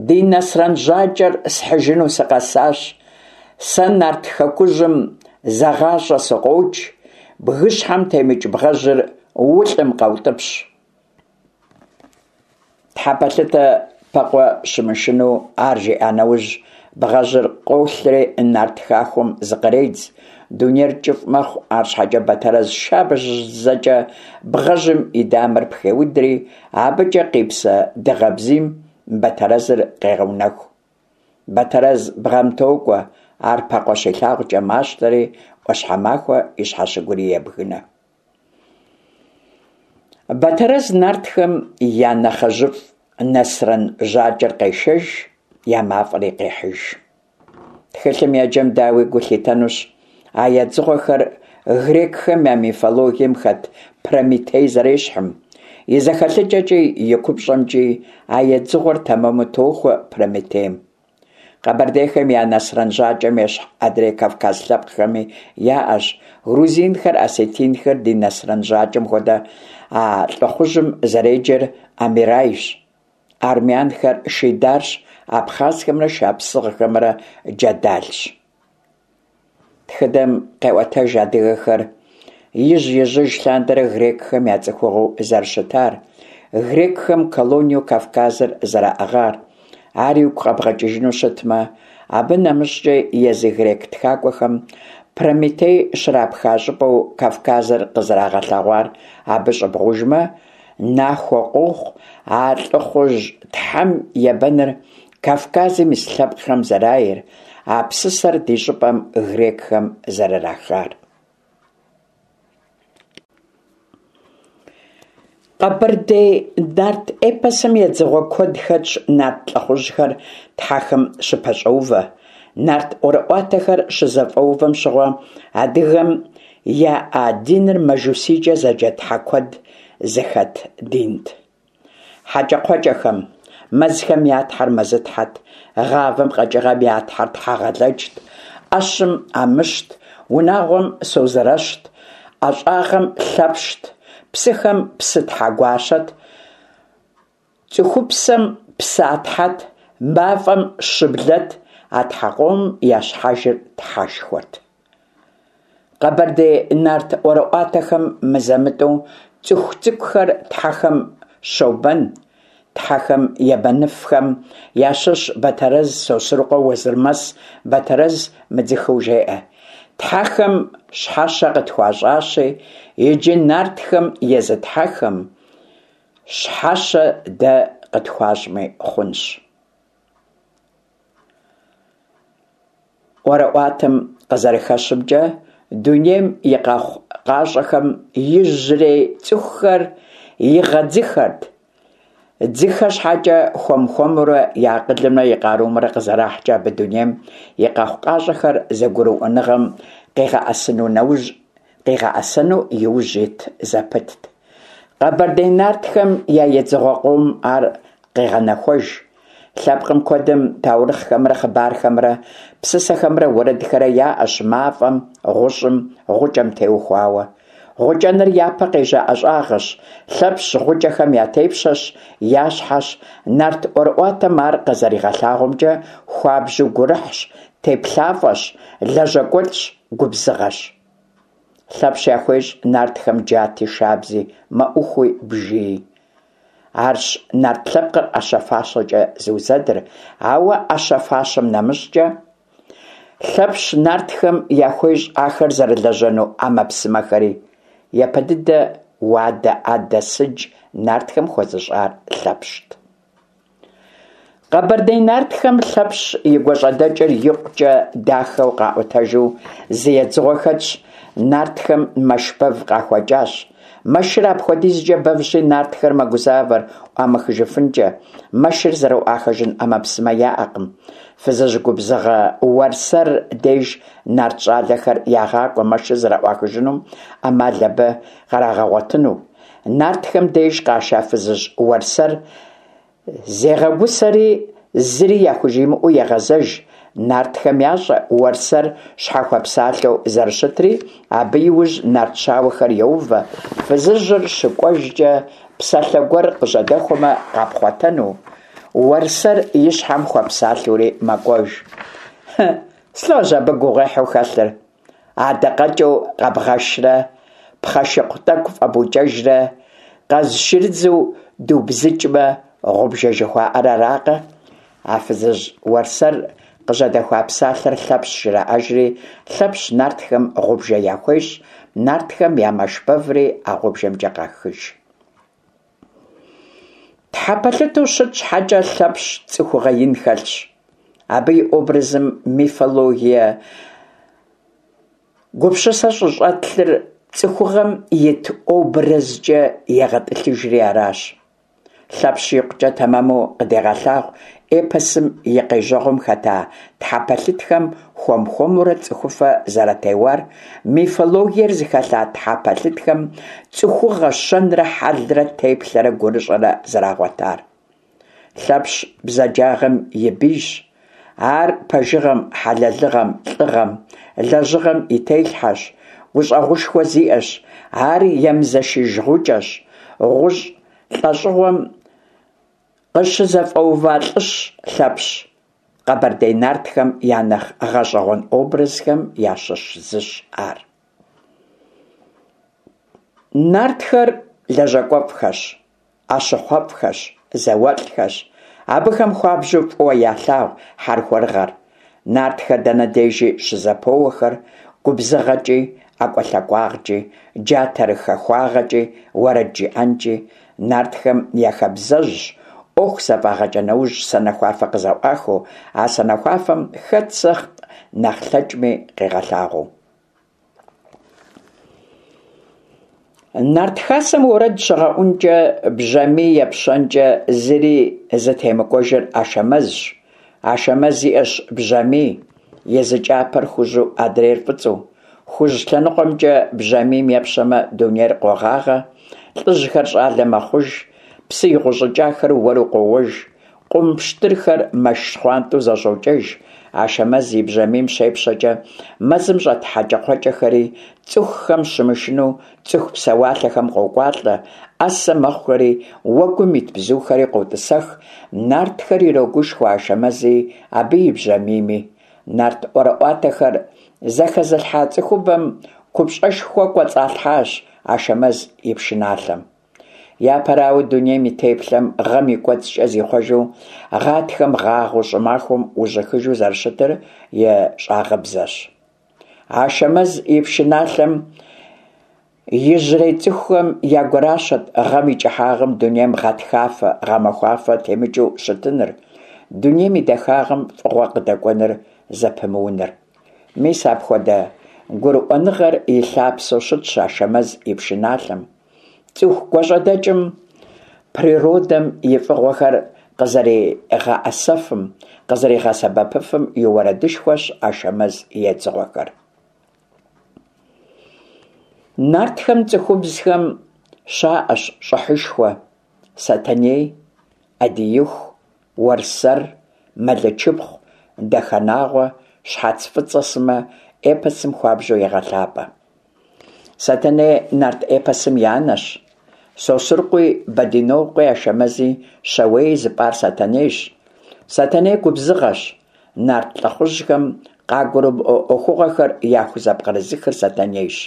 ди Нэсрэн Жьакӏэр схьыжыну сыкъэсащ, сэ Нарт Хэкужьым зэгъащӏэ сыкъокӏ, бгыщхьэм темыкӏ бгъэжьыр улӏым къэутӏыпщ. Тхьэпэлъытэ Пэкъуэ щымышынэу ар жиӏа нэужь, бгъэжьыр къолъри нарт хахуэм зыкъредз. Дунейр кӏыфӏ мэхъу, арщхьэкӏэ Бэтэрэз шабзэкӏэ бгъэжьым и дамэр пхеудри, абыкӏэ къипсэ дыгъэ бзийм Бэтэрэзыр къегъэунэху. Бэтэрэз бгъэм токӏуэ, ар Пэкъуэ щилъагъукӏэ мащтэри, ӏуащхьэмахуэ и щхьэщыгури ебгынэ. Бэтэрэз нартхэм я нэхъыжьыфӏ Нэсрэн Жьакӏэр къешэж, я мафӏэри къехьыж. Тхылъым еджэм дауи гу лъитэнущ а едзыгъуэхэр грекхэм я мифологием хэт Прометей зэрещхьым. И зэхэлъыкӏэкӏи и купщӏэмкӏи а едзыгъуэр тэмэму тохуэ Прометейм. Къэбэрдейхэм я Нэсрэн Жьакӏэм ещхь адрей кавказ лъэпкъхэми яӏэщ. Грузинхэр, осетинхэр ди Нэсрэн Жьакӏэм хуэдэ а лӏыхъужьым зэреджэр Амирайщ. Армянхэр Шидарщ, абхъазхэмрэ шапсыгъхэмрэ Джэдалщ. Тхыдэм къеӏуэтэж адыгэхэр ижь-ижьыж лъандэрэ грекхэм я цӏыхугъэу зэрыщытар, грекхэм колониеу Кавказыр зэраӏыгъар. Ар игу къэбгъэкӏыжыну щытмэ, абы нэмыщӏкӏэ езы грек тхакӏуэхэм Прометей щрапха щӏыпӏэу Кавказыр къызэрагъэлъэгъуар абы щӏыбгъужмэ, нахуэ къохъу а лӏыхъужь тхьэм ебэныр Кавказым ис лъэпкъхэм зэрайр, а псысэр ди щӏыпӏэм грекхэм зэрырахар. Къэбэрдей нарт эпосым едзыгъуэ куэд хэтщ нарт лӏыхъужьхэр тхьэхэм щыпэщӏэувэ. Нарт ӏуэрыӏуатэхэр щызэфӏэувэм щыгъуэ адыгэм яӏа диныр мажусийкӏэ зэджэ тхьэ куэд зыхэт динт. Хьэкӏэкхъуэкӏэхэм, мэзхэм я тхьэр Мэзытхьэт, гъавэм, къэкӏыгъэм я тхьэр Тхьэгъэлэджт, ӏэщым Амыщт, унагъуэм Созэрэщт, ӏэщӏагъэм Лъэпщт, псыхэм Псытхьэгуащэт, цӏыхупсэм Псатхьэт, мафӏэм Щыблэт, а тхьэ къомым я щхьэжыр Тхьэшхуэт. Къэбэрдей нарт ӏуэрыӏуатэхэм мызэ-мытӏэу цӏыху цӏыкӏухэр тхьэхэм щобэн. Тхьэхэм ебэныфхэм ящыщ Батэрэз, Сосрыкъуэ, Уэзырмэс Батэрэз мыдзыхэу жеӏэ: «Тхьэхэм щхьэщэ къытхуащӏащи, иджы нартхэм езы тхьэхэм щхьэщэ дэ къытхуащӏми хъунщ». ӏуэрыӏуатэм къызэрыхэщымкӏэ, дунейм и къэхъукъащӏэхэм ижьрей цӏыхухэр игъэдзыхэрт. Дзыхэ щхьэкӏэ, хуэм-хуэмурэ я акъылымрэ и къарумрэ къызэрахькӏэ абы дунейм и къэхъукъащӏэхэр зэгурыӏуэныгъэм къигъэӏэсэну нэужь къигъэӏэсэну иужь ит зэпытт. Къэбэрдей нартхэм я едзыгъуэ къомым ар къегъэнэхуэж. Лъэпкъым куэдым таурыхъхэмрэ хъыбархэмрэ, псысэхэмрэ уэрэдхэрэ яӏэщ мафӏэм, гъущӏым, гъукӏэм теухуауэ. Гъукӏэныр япэ къежьа ӏэщӏагъэщ. Лъэпщ гъукӏэхэм я тепщэщ, я щхьэщ. Нарт ӏуэрыӏуатэм ар къызэригъэлъагъуэмкӏэ, хуабжьу гурыхьщ, теплъафӏэщ, лэжьакӏуэлӏщ, губзыгъэщ. Лъэпщ яхуещӏ нартхэм джати, шабзи, мэӏухуи, бжыи. Арщ нарт лъэпкъыр ӏэщэ-фащэкӏэ зыузэдыр, ауэ ӏэщэ-фащэм нэмыщӏкӏэ, Лъэпщ нартхэм яхуещӏ ахэр зэрылэжьэну ӏэмэпсымэхэри. Япэ дыдэ уадэ, ӏэдэ, сыдж нартхэм хуэзыщӏар Лъэпщт. Къэбэрдей нартхэм Лъэпщ и гуащӏэдэкӏыр икъукӏэ дахэу къаӏуэтэжу зы едзыгъуэ хэтщ. Нартхэм мэш бэв къахуэкӏащ. Мэшыр апхуэдизкӏэ бэвщи, нартхэр мэгузавэр ӏуамыхыжыфынкӏэ, мэшыр зэрыӏуахыжын ӏэмэпсымэ яӏэкъым. Фызыжь губзыгъэ Уэрсэр деж нарт щӏалэхэр ягъакӏуэ мэшыр зэрыӏуахыжынум ӏэмал абы кърагъэгъуэтыну. Нартхэм деж къаша фызыжь Уэрсэр зегъэгусэри зыри яхужимыӏэу егъэзэж. Нартхэм ящӏэ Уэрсэр щхьэхуэпсалъэу зэрыщытри, абы иужь нарт щауэхэр йоувэ, фызыжьыр щыкӏуэжкӏэ псалъэ гуэр къыжьэдэхуэмэ къапхъуэтэну. Уэрсэр и щхьэм хуэпсалъэури мэкӏуэж. Слӏожь абы гугъуехьу хэлъыр? Адакъэкӏыу къэбгъэшрэ, пхъэшыкъу тӏэкӏу фӏэбукӏэжрэ, къазшырыдзу дубзыкӏмэ, гъубжэ жыхуаӏэр аракъэ? А фызыжь Уэрсэр къыжьэдэхуа псалъэр Лъэпщ жраӏэжри, Лъэпщ нартхэм гъубжэ яхуещӏ, нартхэм я мэш бэври а гъубжэмкӏэ къахыж. Тхьэпэлъытэу щыт щхьэкӏэ, Лъэпщ цӏыхугъэ ин хэлъщ. Абы и образым мифологие гупсысэ щӏыщӏэлъыр цӏыхугъэм ит образкӏэ егъэтӏылъыжри аращ. Лъэпщ икъукӏэ тэмэму къыдегъэлъагъу эпосым и къежьэгъуэм хэта тхьэпэлъытхэм хуэм-хуэмурэ цӏыхуфэ зэратеуар, мифологиер зыхэлъа тхьэпэлъытхэм цӏыхугъэ щэнрэ хьэлрэ, теплъэрэ гурыщӏэрэ зэрагъуэтар. Лъэпщ бзаджагъэм и бийщ. Ар пэжыгъэм, хьэлэлыгъэм, лӏыгъэм, лэжьыгъэм и телъхьэщ, гущӏэгъушхуэ зиӏэщ. Ар емызэшыж гъукӏэщ. Гъущӏ лӏэщӏыгъуэм къыщызэфӏэува лӏыщ Лъэпщ. Къэбэрдей нартхэм я нэхъ гъэщӏэгъуэн образхэм ящыщ зыщ ар. Нартхэр лэжьакӏуэфӏхэщ, ӏэщыхъуэфӏхэщ, зауэлӏхэщ. Абыхэм хуабжьу фӏыуэ ялъагъу хьэрхуэрыгъэр. Нартхэр дэнэ дежи щызэпоуэхэр губзыгъэкӏи, ӏэкӏуэлъакӏуагъкӏи, джатэрыхахуагъэкӏи, уэрэд жыӏэнкӏи. Нартхэм я хабзэжьщ ӏуэху зэфӏагъэкӏа нэужь санэхуафэ къызэӏуахыу, а санэхуафэм хэт сыт нэхъ лъэкӏми къигъэлъагъуэу. Нарт хасэм уэрэд щыгъэӏункӏэ, бжьамий епщэнкӏэ зыри зытемыкӏуэжыр Ашэмэзщ. Ашэмэз иӏэщ бжьамий, и зы кӏапэр хужьу адрейр фӏыцӏэу. Хужь лъэныкъуэмкӏэ бжьамийм епщэмэ, дунейр къогъагъэ, лӏыжьхэр щӏалэ мэхъуж, псы игъущӏыкӏахэр уэру къоуэж, къум пщтырхэр мэш щхъуантӏэу зэщӏокӏэж. Ашэмэз и бжьамийм щепщэкӏэ, мэзым щӏэт хьэкӏэкхъуэкӏэхэри, цӏыхухэм щымышынэу цӏыху псэуалъэхэм къокӏуалӏэ, ӏэсэ мэхъухэри, уэгум ит бзухэри къотӏысэх, нартхэр ирогушхуэ Ашэмэзи абы и бжьамийми. Нарт ӏуэрыӏуатэхэр зэхэзылъхьа цӏыхубэм купщӏэшхуэ кӏуэцӏалъхьащ Ашэмэз и пшыналъэм. Япэрауэ, дунейм и теплъэм гъэм и кӏуэцӏкӏэ зихъуэжу, гъатхэм гъагъэу, щӏымахуэм ужьыхыжу зэрыщытыр и щӏагъыбзэщ. Ашэмэз и пшыналъэм ижьрей цӏыхухэм я гуращэт гъэм и кӏыхьагъым дунейм гъатхафэ, гъэмахуафэ темыкӏыу щытыныр, дунейм и дахагъэм фӏыгъуэ къыдэкӏуэныр зэпымыуныр. Мис апхуэдэ гурыӏуэныгъэр и лъапсэу щытщ Ашэмэз и пшыналъэм. Цӏыху гуащӏэдэкӏым природэм и фӏыгъуэхэр къызэригъэӏэсэфым, къызэригъэсэбэпыфым и уэрэдышхуэщ Ашэмэз и едзыгъуэхэр. Нартхэм цӏыхубзхэм щаӏэщ щӏыхьышхуэ: Сэтэней, Ӏэдииху, Уэрсэр, Мэлычыпхъу, Дахэнагъуэ, Щхьэц фӏыцӏэ сымэ эпосым хуабжьу егъэлъапӏэ. Сэтэней нарт эпосым и анэщ. Сосрыкъуи, Бэдынокъуи, Ашэмэзи, Щауеи зыпӏар Сэтэнейщ. Сэтэней губзыгъэщ. Нарт лӏыхъужьхэм къагурымыӏуэ ӏуэхугъуэхэр яхузэпкърызыхыр Сэтэнейщ.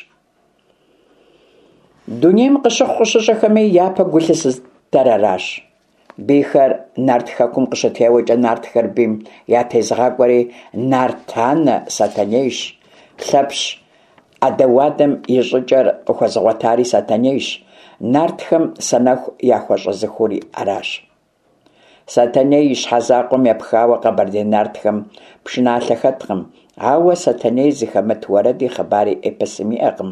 Дунейм къыщыхъу-къыщыщӏэхэми япэ гу лъызытэр аращ. Бийхэр нарт хэкум къыщытеуэкӏэ нартхэр бийм ятезыгъакӏуэри нарт анэ Сэтэнейщ. Лъэпщ ӏэдэ-уадэм и щӏыкӏэр къыхуэзыгъуэтари Сэтэнейщ, нартхэм санэху яхуэщӏэзыхури аращ. Сэтэней и щхьэ закъуэм епхауэ къэбэрдей нартхэм пшыналъэ хэткъым, ауэ Сэтэней зыхэмыт уэрэди хъыбари эпосым иӏэкъым,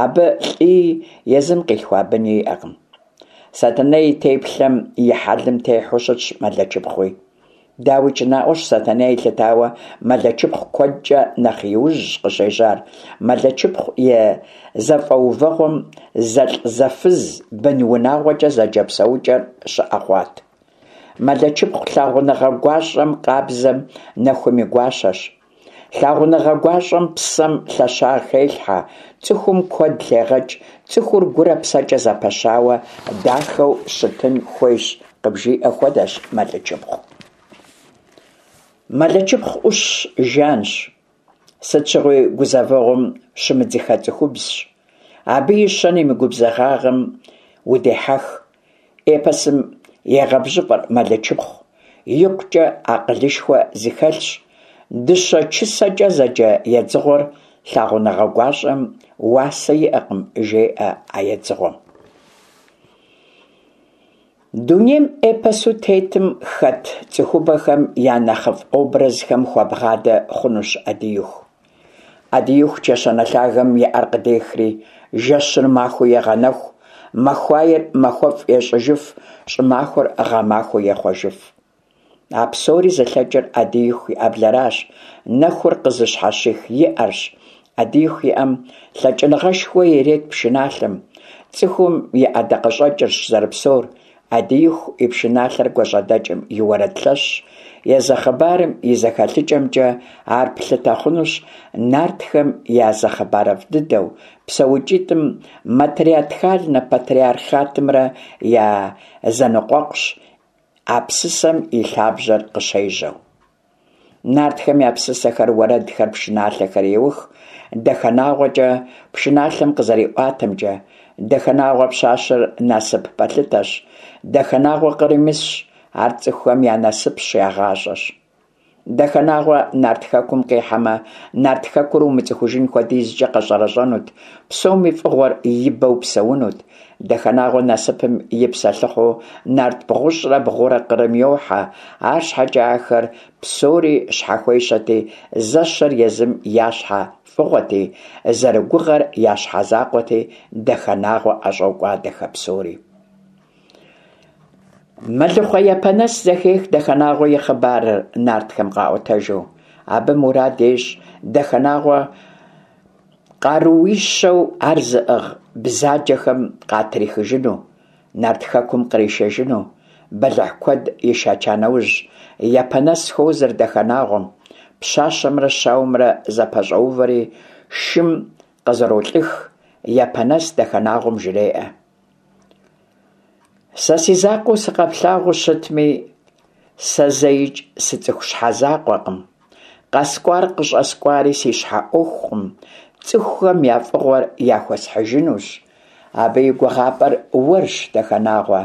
абы лӏыи езым къилъхуа быни иӏэкъым. Сэтэней и теплъэм, и хьэлым техьэу щытщ Мэлычыпхъуи. Дауикӏ, наӏуэщ, Сэтэней елъытауэ Мэлычыпхъу куэдкӏэ нэхъ иужьщ къыщежьар. Мэлычыпхъу и зэфӏэувэгъуэм зэлӏзэфыз бын-унагъуэкӏэ зэджэ псэукӏэр щыӏэ хъуат. Мэлычыпхъу лъагъуныгъэ гуащӏэм, къабзэм, нэхум и гуащэщ. Лъагъуныгъэ гуащӏэм псэм лъэщагъ хелъхьэ, цӏыхум куэд лъегъэкӏ, цӏыхур гурэ псэкӏэ зэпэщауэ, дахэу щытын хуейщ къыбжиӏэ хуэдэщ Мэлычыпхъу. Мэлычыпхъу ӏущщ, жанщ. Сыт щыгъуи гузэвэгъуэм щымыдзыхэ цӏыхубзщ. Абы и щэным, и губзыгъагъэм удехьэх. Эпосым егъэбжьыфӏэр Мэлычыпхъу. Икъукӏэ акъылышхуэ зыхэлъщ. Дыщэ чысэкӏэ зэджэ едзыгъуэр лъагъуныгъэ гуащӏэм уасэ иӏэкъым, жеӏэ а едзыгъуэм. Дунейм эпосу тетым хэт цӏыхубэхэм я нэхъыфӏ образхэм хуэбгъадэ хъунущ Ӏэдииху. Ӏэдииху чэщанэ лъагэм и ӏэр къыдехри, жэщыр махуэу егъэнэху, махуаер махуэфӏ ещӏыжыф, щӏымахуэр гъэмахуэу ехъуэжыф. А псори зылъэкӏыр Ӏэдииху и ӏэблэращ, нэхур къызыщхьэщих и ӏэрщ. Ӏэдииху и ӏэм лъэкӏыныгъэшхуэ ирет пшыналъэм. Цӏыхум и ӏэдакъэщӏэкӏырщ зэрыпсэур. Ӏэдииху и пшыналъэр гуащӏэдэкӏым и уэрэд лъэщщ. Езы хъыбарым и зэхэлъыкӏэмкӏэ ар плъытэ хъунущ нартхэм я зы хъыбарыфӏ дыдэу, псэукӏитӏым матриархальнэ патриархатымрэ я зэныкъуэкъущ а псысэм и лъабжьэр къыщежьэу. Нартхэм я псысэхэр, уэрэдхэр, пшыналъэхэр еух Дахэнагъуэкӏэ, пшыналъэм къызэриӏуатэмкӏэ, Дахэнагъуэ пщащэр насып пэлъытэщ, Дахэнагъуэ къырым исщ, ар цӏыхухэм я насыпщ, я гъащӏэщ. Дахэнагъуэ Нарт Хэкум къихьэмэ, Нарт Хэкур умыцӏыхужын хуэдизкӏэ къэщӏэрэщӏэнут, псоми фӏыгъуэр и бэу псэунут. Дахэнагъуэ насыпым и псэлъыхъуу нарт бгъущӏрэ бгъурэ къырым йохьэ, арщхьэкӏэ ахэр псори щхьэхуещэти, зэщэр езым я щхьэ фӏыгъуэти, зэрыгугъэр я щхьэ закъуэти, Дахэнагъуэ ӏэщӏокӏуадэхэ псори. Мэлыхъуэ Япэнэс зэхех Дахэнагъуэ и хъыбарыр нартхэм къаӏуэтэжу. Абы мурад ещӏ Дахэнагъуэ къарууищэу ар зыӏыгъ бзаджэхэм къатрихыжыну, Нарт Хэкум къришэжыну. Бэлыхь куэд ишэча нэужь, Япэнэс хуозэр Дахэнагъуэм. Пщащэмрэ щауэмрэ зэпэщӏоувэри шым къызэролӏых. Япэнэс Дахэнагъуэм жреӏэ: Сэ си закъуэу сыкъэплъагъуу щытми, сэ зэикӏ сыцӏыху щхьэ закъуэкъым. Къэскӏуар къыщӏэскӏуари си щхьэ ӏуэхукъым, цӏыхухэм я фӏыгъуэр яхуэсхьыжынущ. Абы и гугъапӏэр уэрщ, Дахэнагъуэ,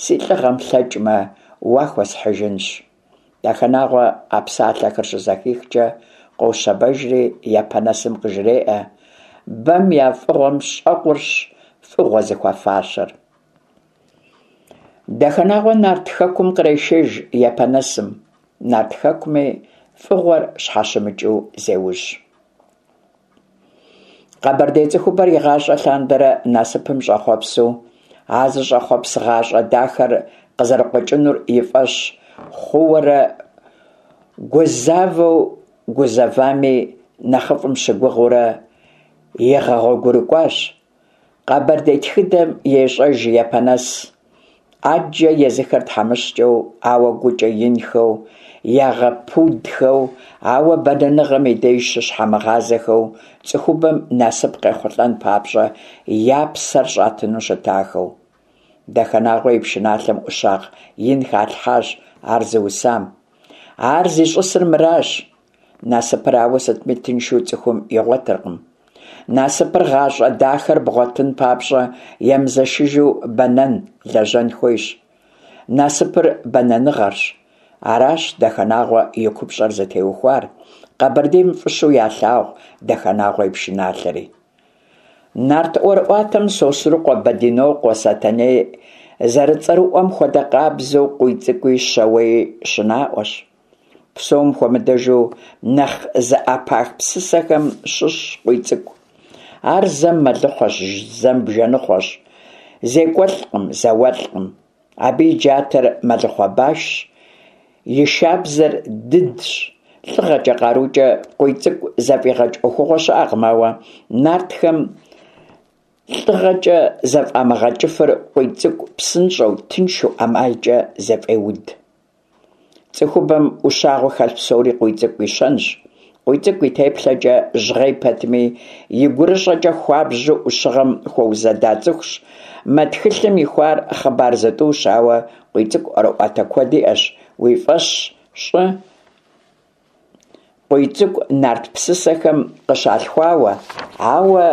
си лӏыгъэм лъэкӏмэ, уахуэсхьыжынщ. Дахэнагъуэ а псалъэхэр щызэхихкӏэ къощэбэжри Япэнэсым къыжреӏэ: Бэм я фӏыгъуэм щӏэкъурщ фӏыгъуэ зыхуэфащэр. Дахэнагъуэ Нарт Хэкум кърешэж Япэнэсым. Нарт Хэкуми фӏыгъуэр щхьэщымыкӏыу зеужь. Къэбэрдей цӏыхубэр игъащӏэ лъандэрэ насыпым щӏэхъуэпсу, а зыщӏэхъуэпс гъащӏэ дахэр къызэрыкъуэкӏынур и фӏэщ хъууэрэ гузавэу, гузэвами нэхъыфӏым щыгугъыурэ игъэгъуэгурыкӏуащ. Къэбэрдей тхыдэм ещӏэж Япэнэс. Ӏэджэ езыхэр тхьэмыщкӏэу, ауэ гукӏэ инхэу, ягъэпудхэу, ауэ бэнэныгъэм и деж щыщхьэмыгъазэхэу, цӏыхубэм насып къехъулӏэн папщӏэ я псэр щӏатыну щытахэу. Дахэнагъуэ и пшыналъэм ӏущагъ ин халъхьащ ар зыусам. Ар зищӏысыр мыращ: насыпыр ауэ сытми тыншу цӏыхум игъуэтыркъым. Насыпыр, гъащӏэ дахэр бгъуэтын папщӏэ емызэшыжу бэнэн, лэжьэн хуейщ. Насыпыр бэнэныгъэрщ. Аращ Дахэнагъуэ и купщӏэр зытеухуар, Къэбэрдейм фӏыщэу ялъагъу Дахэнагъуэ и пшыналъэри. Нарт ӏуэрыӏуатэм Сосрыкъуэ, Бэдинокъуэ, Сэтэней зэрыцӏэрыӏуэм хуэдэ къабзэу Къуийцӏыкӏуи Щауеи щынаӏуэщ. Псом хуэмыдэжу нэхъ зэӏэпах псысэхэм щыщщ Къуийцӏыкӏу. Ар зэм мэлыхъуэщ, зэм бжэныхъуэщ, зекӏуэлӏкъым, зауэлӏкъым. Абы и джатэр мэлыхъуэ башщ, и шабзэр дыдщ. Лӏыгъэкӏэ, къарукӏэ Къуийцӏыкӏу зэфӏигъэкӏ ӏуэхугъуэ щыӏэкъым, ауэ нартхэм лӏыгъэкӏэ зэфӏамыгъэкӏыфыр Къуийцӏыкӏу псынщӏэу, тыншу, ӏэмалкӏэ зэфӏеуд. Цӏыхубэм ӏущагъыу хэлъ псори Къуийцӏыкӏу и щэнщ. Къуийцӏыкӏу и теплъэкӏэ жьгъей пэтми, и гурыщӏэкӏэ хуабжьу ӏущыгъэм хуэузэда цӏыхущ. Мы тхылъым ихуар хъыбар зытӏущ, ауэ Къуийцӏыкӏу ӏуэрыӏуатэ куэд иӏэщ. Уи фӏэщ щӏы Къуийцӏыкӏу нарт псысэхэм къыщалъхуауэ, ауэ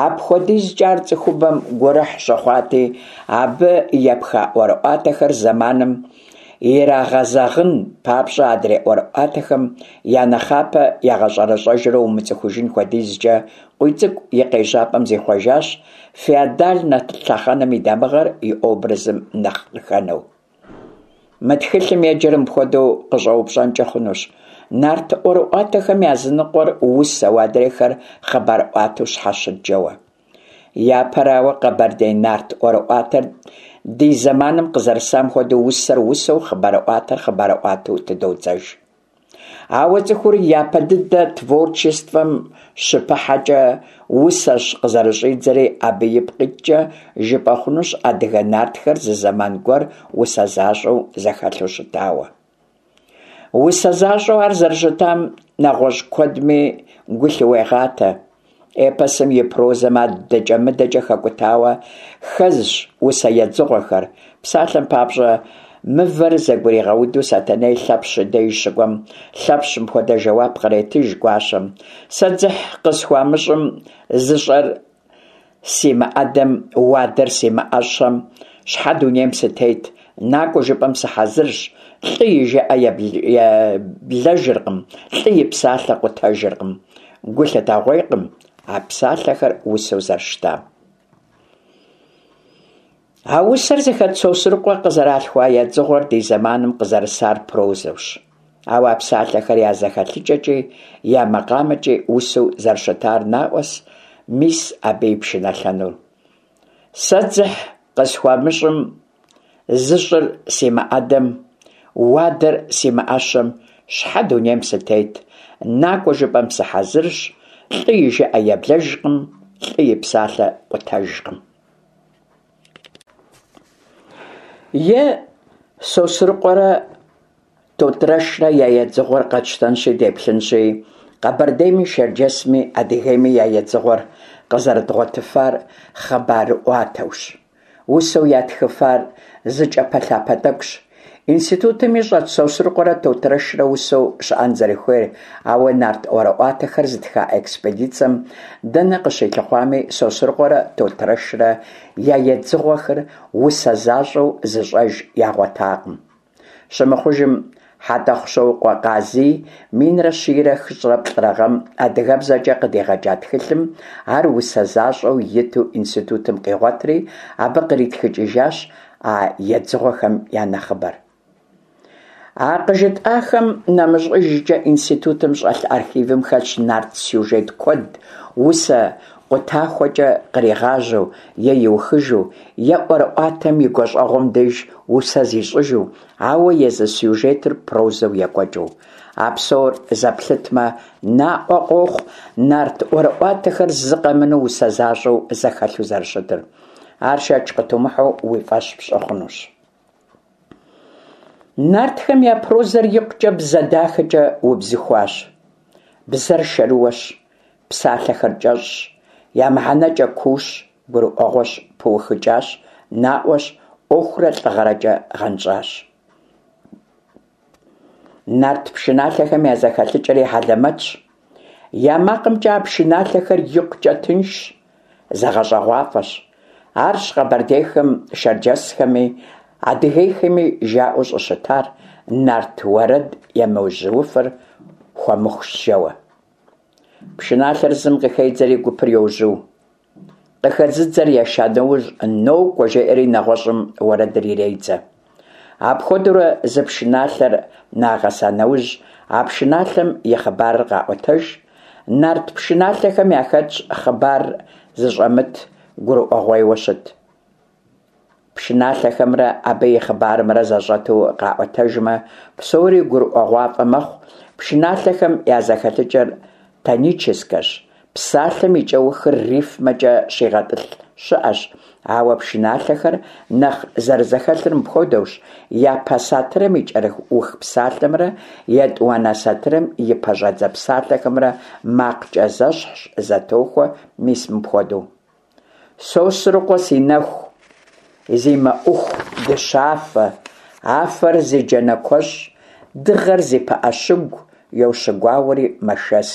апхуэдизкӏэ ар цӏыхубэм гурыхь щыхъуати, абы епха ӏуэрыӏуатэхэр зэманым ирагъэзэгъын папщӏэ адрей ӏуэрыӏуатэхэм я нэхъапэ ягъэщӏэрэщӏэжурэ умыцӏыхужын хуэдизкӏэ Къуийцӏыкӏу и къежьапӏэм зихъуэжащ, феодальнэ лъэхъэнэм и дамыгъэр и образым нэхъ къыхэнэу. Мы тхылъым еджэр мыпхуэдэу къыщӏэупщӏэнкӏэ хъунущ: нарт ӏуэрыӏуатэхэм языныкъуэр усэу, адрейхэр хъыбарӏуатэу щхьэ щыт жэуэ. Япэрауэ, къэбэрдей нарт ӏуэрыӏуатэр ди зэманым къызэрысам хуэдэу усэр усэу, хъыбарӏуатэр хъыбарӏуатэу тыдодзэж. Ауэ цӏыхур япэ дыдэ творчествэм щыпыхьэкӏэ усэщ къызэрыщӏидзэри, абы ипкъ иткӏэ жыпӏэ хъунущ адыгэ нартхэр зы зэман гуэр усэ защӏэу зэхэлъу щытауэ. Усэ защӏэу ар зэрыщытам нэгъуэщӏ куэдми гу лъыуегъатэ. Эпосым и прозэм адэкӏэ-мыдэкӏэ хэкӏутауэ хэзщ усэ едзыгъуэхэр. Псалъэм папщӏэ, мывэр зэгуригъэуду Сэтэней Лъэпщ и деж щыкӏуэм, Лъэпщ мыпхуэдэ жэуап къретыж гуащэм: «Сэ дзыхь къысхуамыщӏым, зыщӏэр симыӏэдэм, уадэр симыӏэщэм, щхьэ дунейм сытет? Накӏуэ жыпӏэм сыхьэзырщ, лӏы и жыӏэ еблэжыркъым, лӏы и псалъэ къутэжыркъым. Гу лъытэгъуейкъым а псалъэхэр усэу зэрыщытам. А усэр зыхэт Сосрыкъуэ къызэралъхуа едзыгъуэр ди зэманым къызэрысар прозэущ. Ауэ а псалъэхэр я зэхэлъыкӏэкӏи я макъамэкӏи усэу зэрыщытар наӏуэщ мис абы и пшыналъэнур. Сэ дзыхь къысхуамыщӏым, зыщӏыр симыӏэдэм, уадэр симыӏэщэм, щхьэ дунейм сытет? Накӏуэ жыпӏэм сыхьэзырщ, лӏы и жыӏэ еблэжкъым, лӏы и псалъэ къутэжкъым. Е Сосрыкъуэрэ Тотрэшрэ я едзыгъуэр къэтщтэнщи деплъынщи, Къэбэрдейми, Шэрджэсми, Адыгейми я едзыгъуэр къызэрыдгъуэтыфар хъыбарыӏуатэущ. Усэу ятхыфар зы кӏапэлъапэ тӏэкӏущ. Институтым ищӏэрт Сосрыкъуэрэ Тотрэшрэ усэу щыӏэн зэрыхуейр, ауэ нарт ӏуэрыӏуатэхэр зытха экспедицэм дэнэ къыщилъыхъуами, Сосрыкъуэрэ Тотрэшрэ я едзыгъуэхэр усэ защӏэу зы щӏэж ягъуэтакъым. Щымыхъужым, Хьэтӏохъущокъуэ Къазий минрэ щийрэ хыщӏрэ плӏырэ гъэм адыгэбзэкӏэ къыдигъэкӏа тхылъым ар усэ защӏэу иту институтым къигъуэтри, абы къритхыкӏыжащ а едзыгъуэхэм я нэхъыбэр. А къыжытӏахэм нэмыщӏыжкӏэ, институтым щӏэлъ архивым хэлъщ нарт сюжет куэд усэ къутахуэкӏэ къригъажьэу е иухыжу, е ӏуэрыӏуатэм и гуащӏэгъуэм деж усэ зищӏыжу, ауэ езы сюжетыр прозэу екӏуэкӏыу. А псор зэплъытмэ, наӏуэ къохъу нарт ӏуэрыӏуатэхэр зы къэмынэу усэ защӏэу зэхэлъу зэрыщытыр. Ар шэч къытумыхьэу уи фӏэщ пщӏы хъунущ. Нартхэм я прозэр икъукӏэ бзэ дахэкӏэ убзыхуащ. Бзэр шэрыуэщ, псалъэхэр кӏэщӏщ, я мыхьэнэкӏэ куущ, гурыӏуэгъуэщ, пыухыкӏащ, наӏуэщ, ӏуэхурэ лӏыгъэрэкӏэ гъэнщӏащ. Нарт пшыналъэхэм я зэхэлъыкӏэри хьэлэмэтщ. Я макъымкӏэ а пшыналъэхэр икъукӏэ тыншщ, зэгъэщӏэгъуафӏэщ. Арщ къэбэрдейхэм, шэрджэсхэми, адыгейхэми жаӏэу щӏыщытар нарт уэрэд емыжьууфыр хуэмыхущ жэуэ. Пшыналъэр зым къыхедзэри гупыр йожьу. Къыхэзыдзэр еша нэужь, «нокӏуэ» жеӏэри нэгъуэщӏым уэрэдыр иредзэ. Апхуэдэурэ зы пшыналъэр нагъэса нэужь, а пшыналъэм и хъыбарыр къаӏуэтэж. Нарт пшыналъэхэм яхэтщ хъыбар зыщӏэмыт, гурыӏуэгъуейуэ щыт. Пшыналъэхэмрэ абы и хъыбарымрэ зэщӏэту къаӏуэтэжмэ, псори гурыӏуэгъуафӏэ мэхъу. Пшыналъэхэм я зэхэлъыкӏэр тоническэщ, псалъэм и кӏэухыр рифмэкӏэ щигъэтӏылъ щыӏэщ, ауэ пшыналъэхэр нэхъ зэрызэхэлъыр мыпхуэдэущ: япэ сатырым и кӏэух псалъэмрэ етӏуанэ сатырым и пэщӏэдзэ псалъэхэмрэ макъкӏэ зэщхьщ, зэтохуэ, мис мыпхуэдэу: Сосрыкъуэ си нэху, зи мэӏуху дыщафэ, афэр зи джанэ куэщӏ, дыгъэр зи пыӏэ щыгу, йощыгуауэри мэшэс.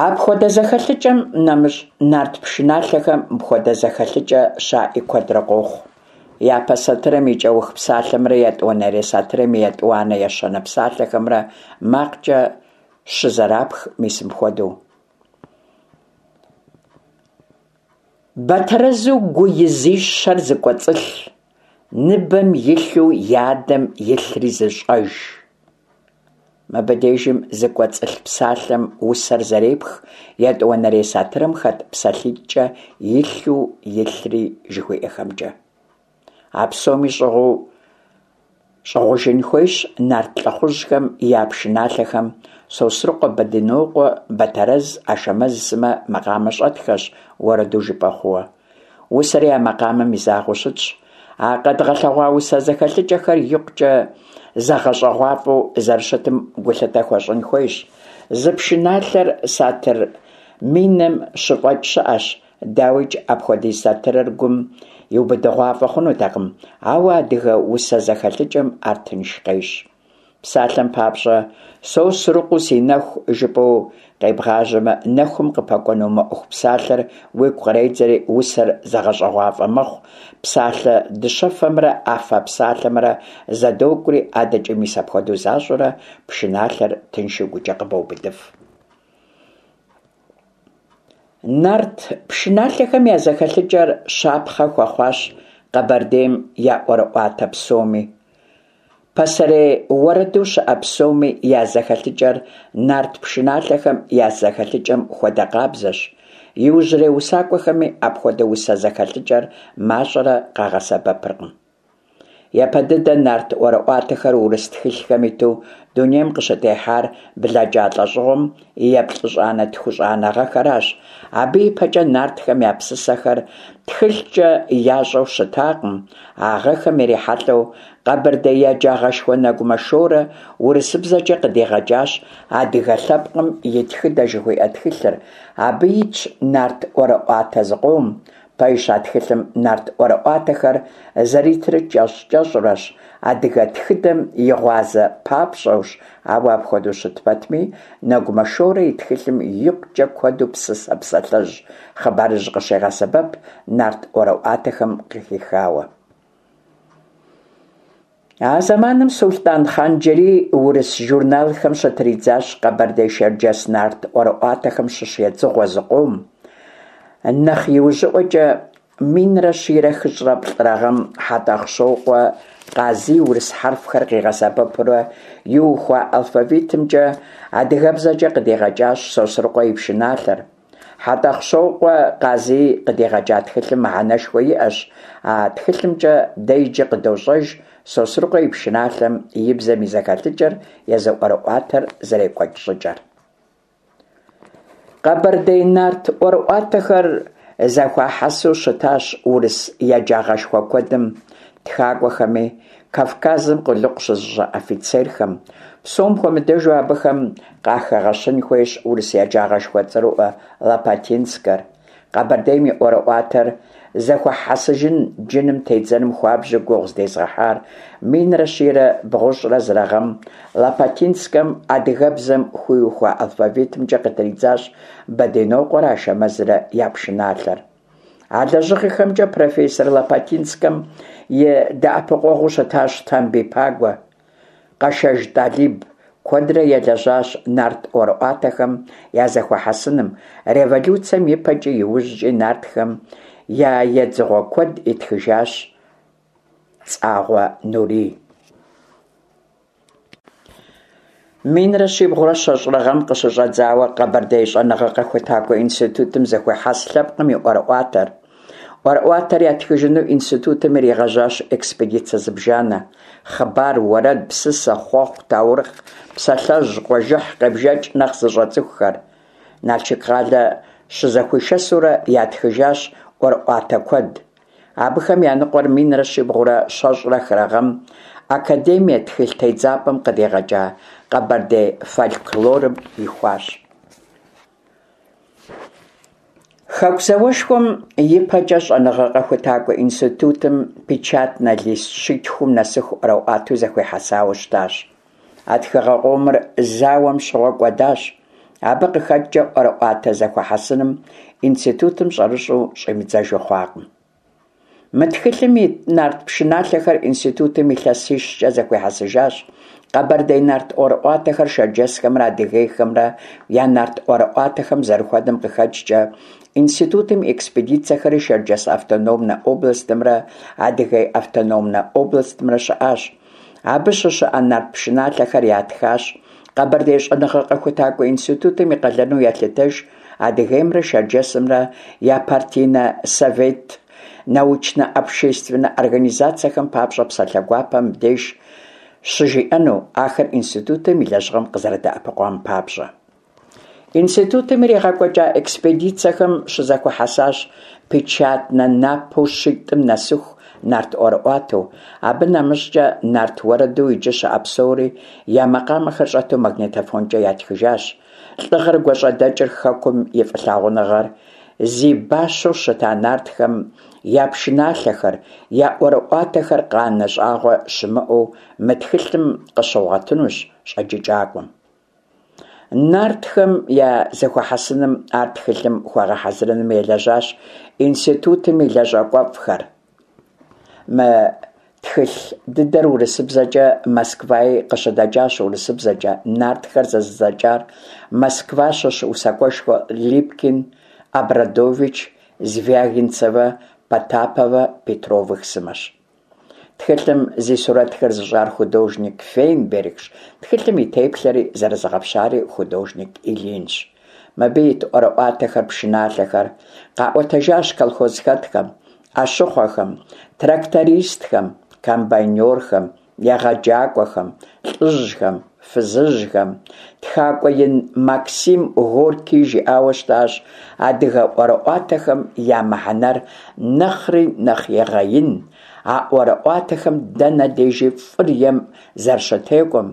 Апхуэдэ зэхэлъыкӏэм нэмыщӏ, нарт пшыналъэхэм мыпхуэдэ зэхэлъыкӏэ щаӏи куэдрэ къохъу: япэ сатырым и кӏэух псалъэмрэ етӏуанэрей сатырым и етӏуанэ, ещанэ псалъэхэмрэ макъкӏэ щызэрапх мис мыпхуэдэу: Бэтэрэзу гу изищэр зыкӏуэцӏылъ, ныбэм илъу и адэм илъри зыщӏэж. Мыбы дежым «зыкӏуэцӏылъ» псалъэм усэр зэрепх етӏуанэрей сатырым хэт псалъитӏкӏэ «илъу», «илъри» жыхуиӏэхэмкӏэ. А псоми щӏыгъуу щӏыгъужын хуейщ нарт лӏыхъужьхэм я пшыналъэхэм Сосрыкъуэ, Бэдынокъуэ, Бэтэрэз, Ашэмэз сымэ макъамэ щӏэтхэщ, уэрэду жыпӏэ хъууэ. Усэри а макъамэм изагъэу щытщ. А къэдгъэлъэгъуа усэ зэхэлъыкӏэхэр икъукӏэ зэгъэщӏэгъуафӏэу зэрыщытым гулъытэ хуэщӏын хуейщ. Зы пшыналъэр сатыр миным щыфӏэкӏ щыӏэщ. Дауикӏ, апхуэдиз сатырыр гум иубыдыгъуафӏэ хъунутэкъым, ауэ адыгэ усэ зэхэлъыкӏэм ар тынш къещӏ. Псалъэм папщӏэ, «Сосрыкъуэу си нэху» жыпӏэу къебгъажьэмэ, нэхум къыпэкӏуэну мэӏуху псалъэр уигу къредзэри, усэр зэгъэщӏэгъуафӏэ мэхъу, псалъэ дыщэфэмрэ афэ псалъэмрэ зэдокӏури, адэкӏи мис апхуэдэу защӏэурэ пшыналъэр тыншу гукӏэ къыбоубыдыф. Нарт пшыналъэхэм я зэхэлъыкӏэр щапхъэ хуэхъуащ Къэбэрдейм я ӏуэрыӏуатэ псоми. Пасэрей уэрэду щыӏэ псоми я зэхэлъыкӏэр нарт пшыналъэхэм я зэхэлъыкӏэм хуэдэ къабзэщ. Иужьрей усакӏуэхэми апхуэдэ усэ зэхэлъыкӏэр мащӏэрэ къагъэсэбэпыркъым. Япэ дыдэ нарт ӏуэрыӏуатэхэр урыс тхылъхэм иту дунейм къыщытехьар блэкӏа лӏэщӏыгъуэм и еплӏыщӏанэ-тхущӏанэ гъэхэращ, абы ипэкӏэ нартхэм я псысэхэр тхылъкӏэ ящӏэу щытакъым. А гъэхэм ирихьэлӏэу къэбэрдей еджагъэшхуэ Нэгумэ Шорэ урысыбзэкӏэ къыдигъэкӏащ «Адыгэ лъэпкъым и тхыдэ» жыхуиӏэ тхылъыр, абы итщ нарт ӏуэрыӏуатэ зыкъом. Пэжщ, а тхылъым нарт ӏуэрыӏуатэхэр зэритыр кӏэщӏ-кӏэщӏурэщ, адыгэ тхыдэм и гъуазэ папщӏэущ, ауэ апхуэдэу щыт пэтми, Нэгумэ Шорэ и тхылъым икъукӏэ куэду псысэ, псалъэжь, хъыбарыжь къыщегъэсэбэп нарт ӏуэрыӏуатэхэм къыхихауэ. А зэманым Сулътӏан Хъан-Джэрий урыс журналхэм щытридзащ къэбэрдей-шэрджэс нарт ӏуэрыӏуатэхэм щыщ едзыгъуэ зыкъом. Нэхъ иужьыӏуэкӏэ, минрэ щийрэ хыщӏрэ плӏырэ гъэм Хьэтӏохъущокъуэ Къазий урыс хьэрфхэр къигъэсэбэпурэ иухуа алфавитымкӏэ адыгэбзэкӏэ къыдигъэкӏащ Сосрыкъуэ и пшыналъэр. Хьэтӏохъущокъуэ Къазий къыдигъэкӏа тхылъым мыхьэнэшхуэ иӏэщ, а тхылъымкӏэ дэ иджы къыдощӏэж Сосрыкъуэ и пшыналъэм и бзэм и зэхэлъыкӏэр, езы ӏуэрыӏуатэр зэрекӏуэкӏ щӏыкӏэр. Къэбэрдей нарт ӏуэрыӏуатэхэр зэхуахьэсу щытащ урыс еджагъэшхуэ куэдым, тхакӏуэхэми, Кавказым къулыкъу щызыщӏа офицерхэм. Псом хуэмыдэжу абыхэм къахэгъэщын хуейщ урыс еджагъэшхуэ цӏэрыӏуэ Лопатинскэр. Къэбэрдейм и ӏуэрыӏуатэр зэхуэхьэсыжын, джыным, тедзэным хуабжьу гугъу зыдезгъэхьар минрэ щийрэ бгъущӏрэ зырэ гъэм Лопатинскэм адыгэбзэм хуиухуа алфавитымкӏэ къытридзащ Бэдынокъуэрэ Ашэмэзрэ я пшыналъэр. А лэжьыгъэхэмкӏэ профессор Лопатинскэм и дэӏэпыкъуэгъуу щытащ Тамбий Пагуэ, Къэшэж Тӏалиб куэдрэ елэжьащ нарт ӏуэрыӏуатэхэм я зэхуэхьэсыным, революцэм и пэкӏи иужькӏи нартхэм я едзыгъуэ куэд итхыжащ Цӏагъуэ Нурий. Минрэ щибгъурэ щэщӏрэ гъэм къыщыщӏэдзауэ Къэбэрдей щӏэныгъэ-къэхутакӏуэ институтым зэхуехьэс лъэпкъым и ӏуэрыӏуатэр. ӏуэрыӏуатэр ятхыжыну институтым иригъэжьащ экспедицэ зыбжанэ. Хъыбар, уэрэд, псысэ, хъуэхъу, таурыхъ, псалъэжь, къуажэхь къебжэкӏ нэхъ зыщӏэ цӏыхухэр. Налшык къалэ щызэхуишэсурэ ятхыжащ ӏуэрыӏуатэ куэд. Абыхэм я ныкъуэр минрэ щибгъурэ щэщӏрэ хырэ гъэм Академие тхылъ тедзапӏэм къыдигъэкӏа Къэбэрдей фольклорым ихуащ. Хэку зауэшхуэм и пэкӏэ щӏэныгъэ-къэхутакӏуэ институтым печатнэ лист щитхум нэсыху ӏуэрыӏуатэу зэхуихьэсауэ щытащ. А тхыгъэ къомыр зауэм щыгъуэ кӏуэдащ. Абы къыхэкӏкӏэ ӏуэрыӏуатэ зэхуэхьэсыным институтым щӏэрыщӏэу щӏимыдзэжу хъуакъым. Мы тхылъым ит нарт пшыналъэхэр институтым илъэсищкӏэ зэхуихьэсыжащ. Къэбэрдей нарт ӏуэрыӏуатэхэр шэрджэсхэмрэ адыгейхэмрэ я нарт ӏуэрыӏуатэхэм зэрыхуэдэм къыхэкӏкӏэ, институтым и экспедицэхэри Шэрджэс автономнэ областымрэ Адыгей автономнэ областымрэ щыӏащ. Абы щыщыӏэ нарт пшыналъэхэр ятхащ. Къэбэрдей щӏэныгъэ-къэхутакӏуэ институтым и къалэну елъытэж Адыгеймрэ Шэрджэсымрэ я партийнэ, совет, научнэ, общественнэ организацэхэм папщӏэ псалъэ гуапэ мыбдеж щыжиӏэну, ахэр институтым и лэжьыгъэм къызэрыдэӏэпыкъуам папщӏэ. Институтым иригъэкӏуэкӏа экспедицэхэм щызэхуахьэсащ печатнэ напэу щитӏым нэсыху нарт ӏуэрыӏуатэу, абы нэмыщӏкӏэ нарт уэрэду иджы щыӏэ псори я макъамэхэр щӏэту магнитофонкӏэ ятхыжащ. Лӏыгъэр, гуащӏэдэкӏыр, хэкум и фӏылъагъуныгъэр зи бащэу щыта нартхэм я пшыналъэхэр, я ӏуэрыӏуатэхэр къанэ щӏагъуэ щымыӏэу мы тхылъым къыщигъуэтынущ щӏэджыкӏакӏуэм. Нартхэм я зэхуэхьэсыным, ар тхылъым хуэгъэхьэзырыным елэжьащ институтым и лэжьакӏуэфӏхэр. Мы тхылъ дыдэр урысыбзэкӏэ Москваи къыщыдэкӏащ, урысыбзэкӏэ «Нартхэр» зэзыдзэкӏар Москва щыщ усакӏуэшхуэ Липкин, Обрадович, Звягинцевэ, Потаповэ, Петровых сымэщ. Тхылъым зи сурэтхэр зыщӏар художник Фейнбергщ, тхылъым и теплъэри зэрызэгъэпщари художник Ильинщ. Мыбы ит ӏуэрыӏуатэхэр, пшыналъэхэр къаӏуэтэжащ колхозхэтхэм, ӏэщыхъуэхэм, трактористхэм, комбайнёрхэм, егъэджакӏуэхэм, лӏыжьхэм, фызыжьхэм. Тхакӏуэ ин Максим Горький жиӏауэ щытащ: «Адыгэ ӏуэрыӏуатэхэм я мыхьэнэр нэхъри нэхъ егъэин, а ӏуэрыӏуатэхэм дэнэ дежи фӏыр ем зэрыщытекӏуэм,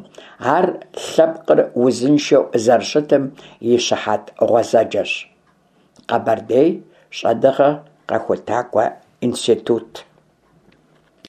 ар лъэпкъыр узыншэу зэрыщытым и щыхьэт гъуэзэджэщ». Къэбэрдей щӏэныгъэ-къэхутакӏуэ институт.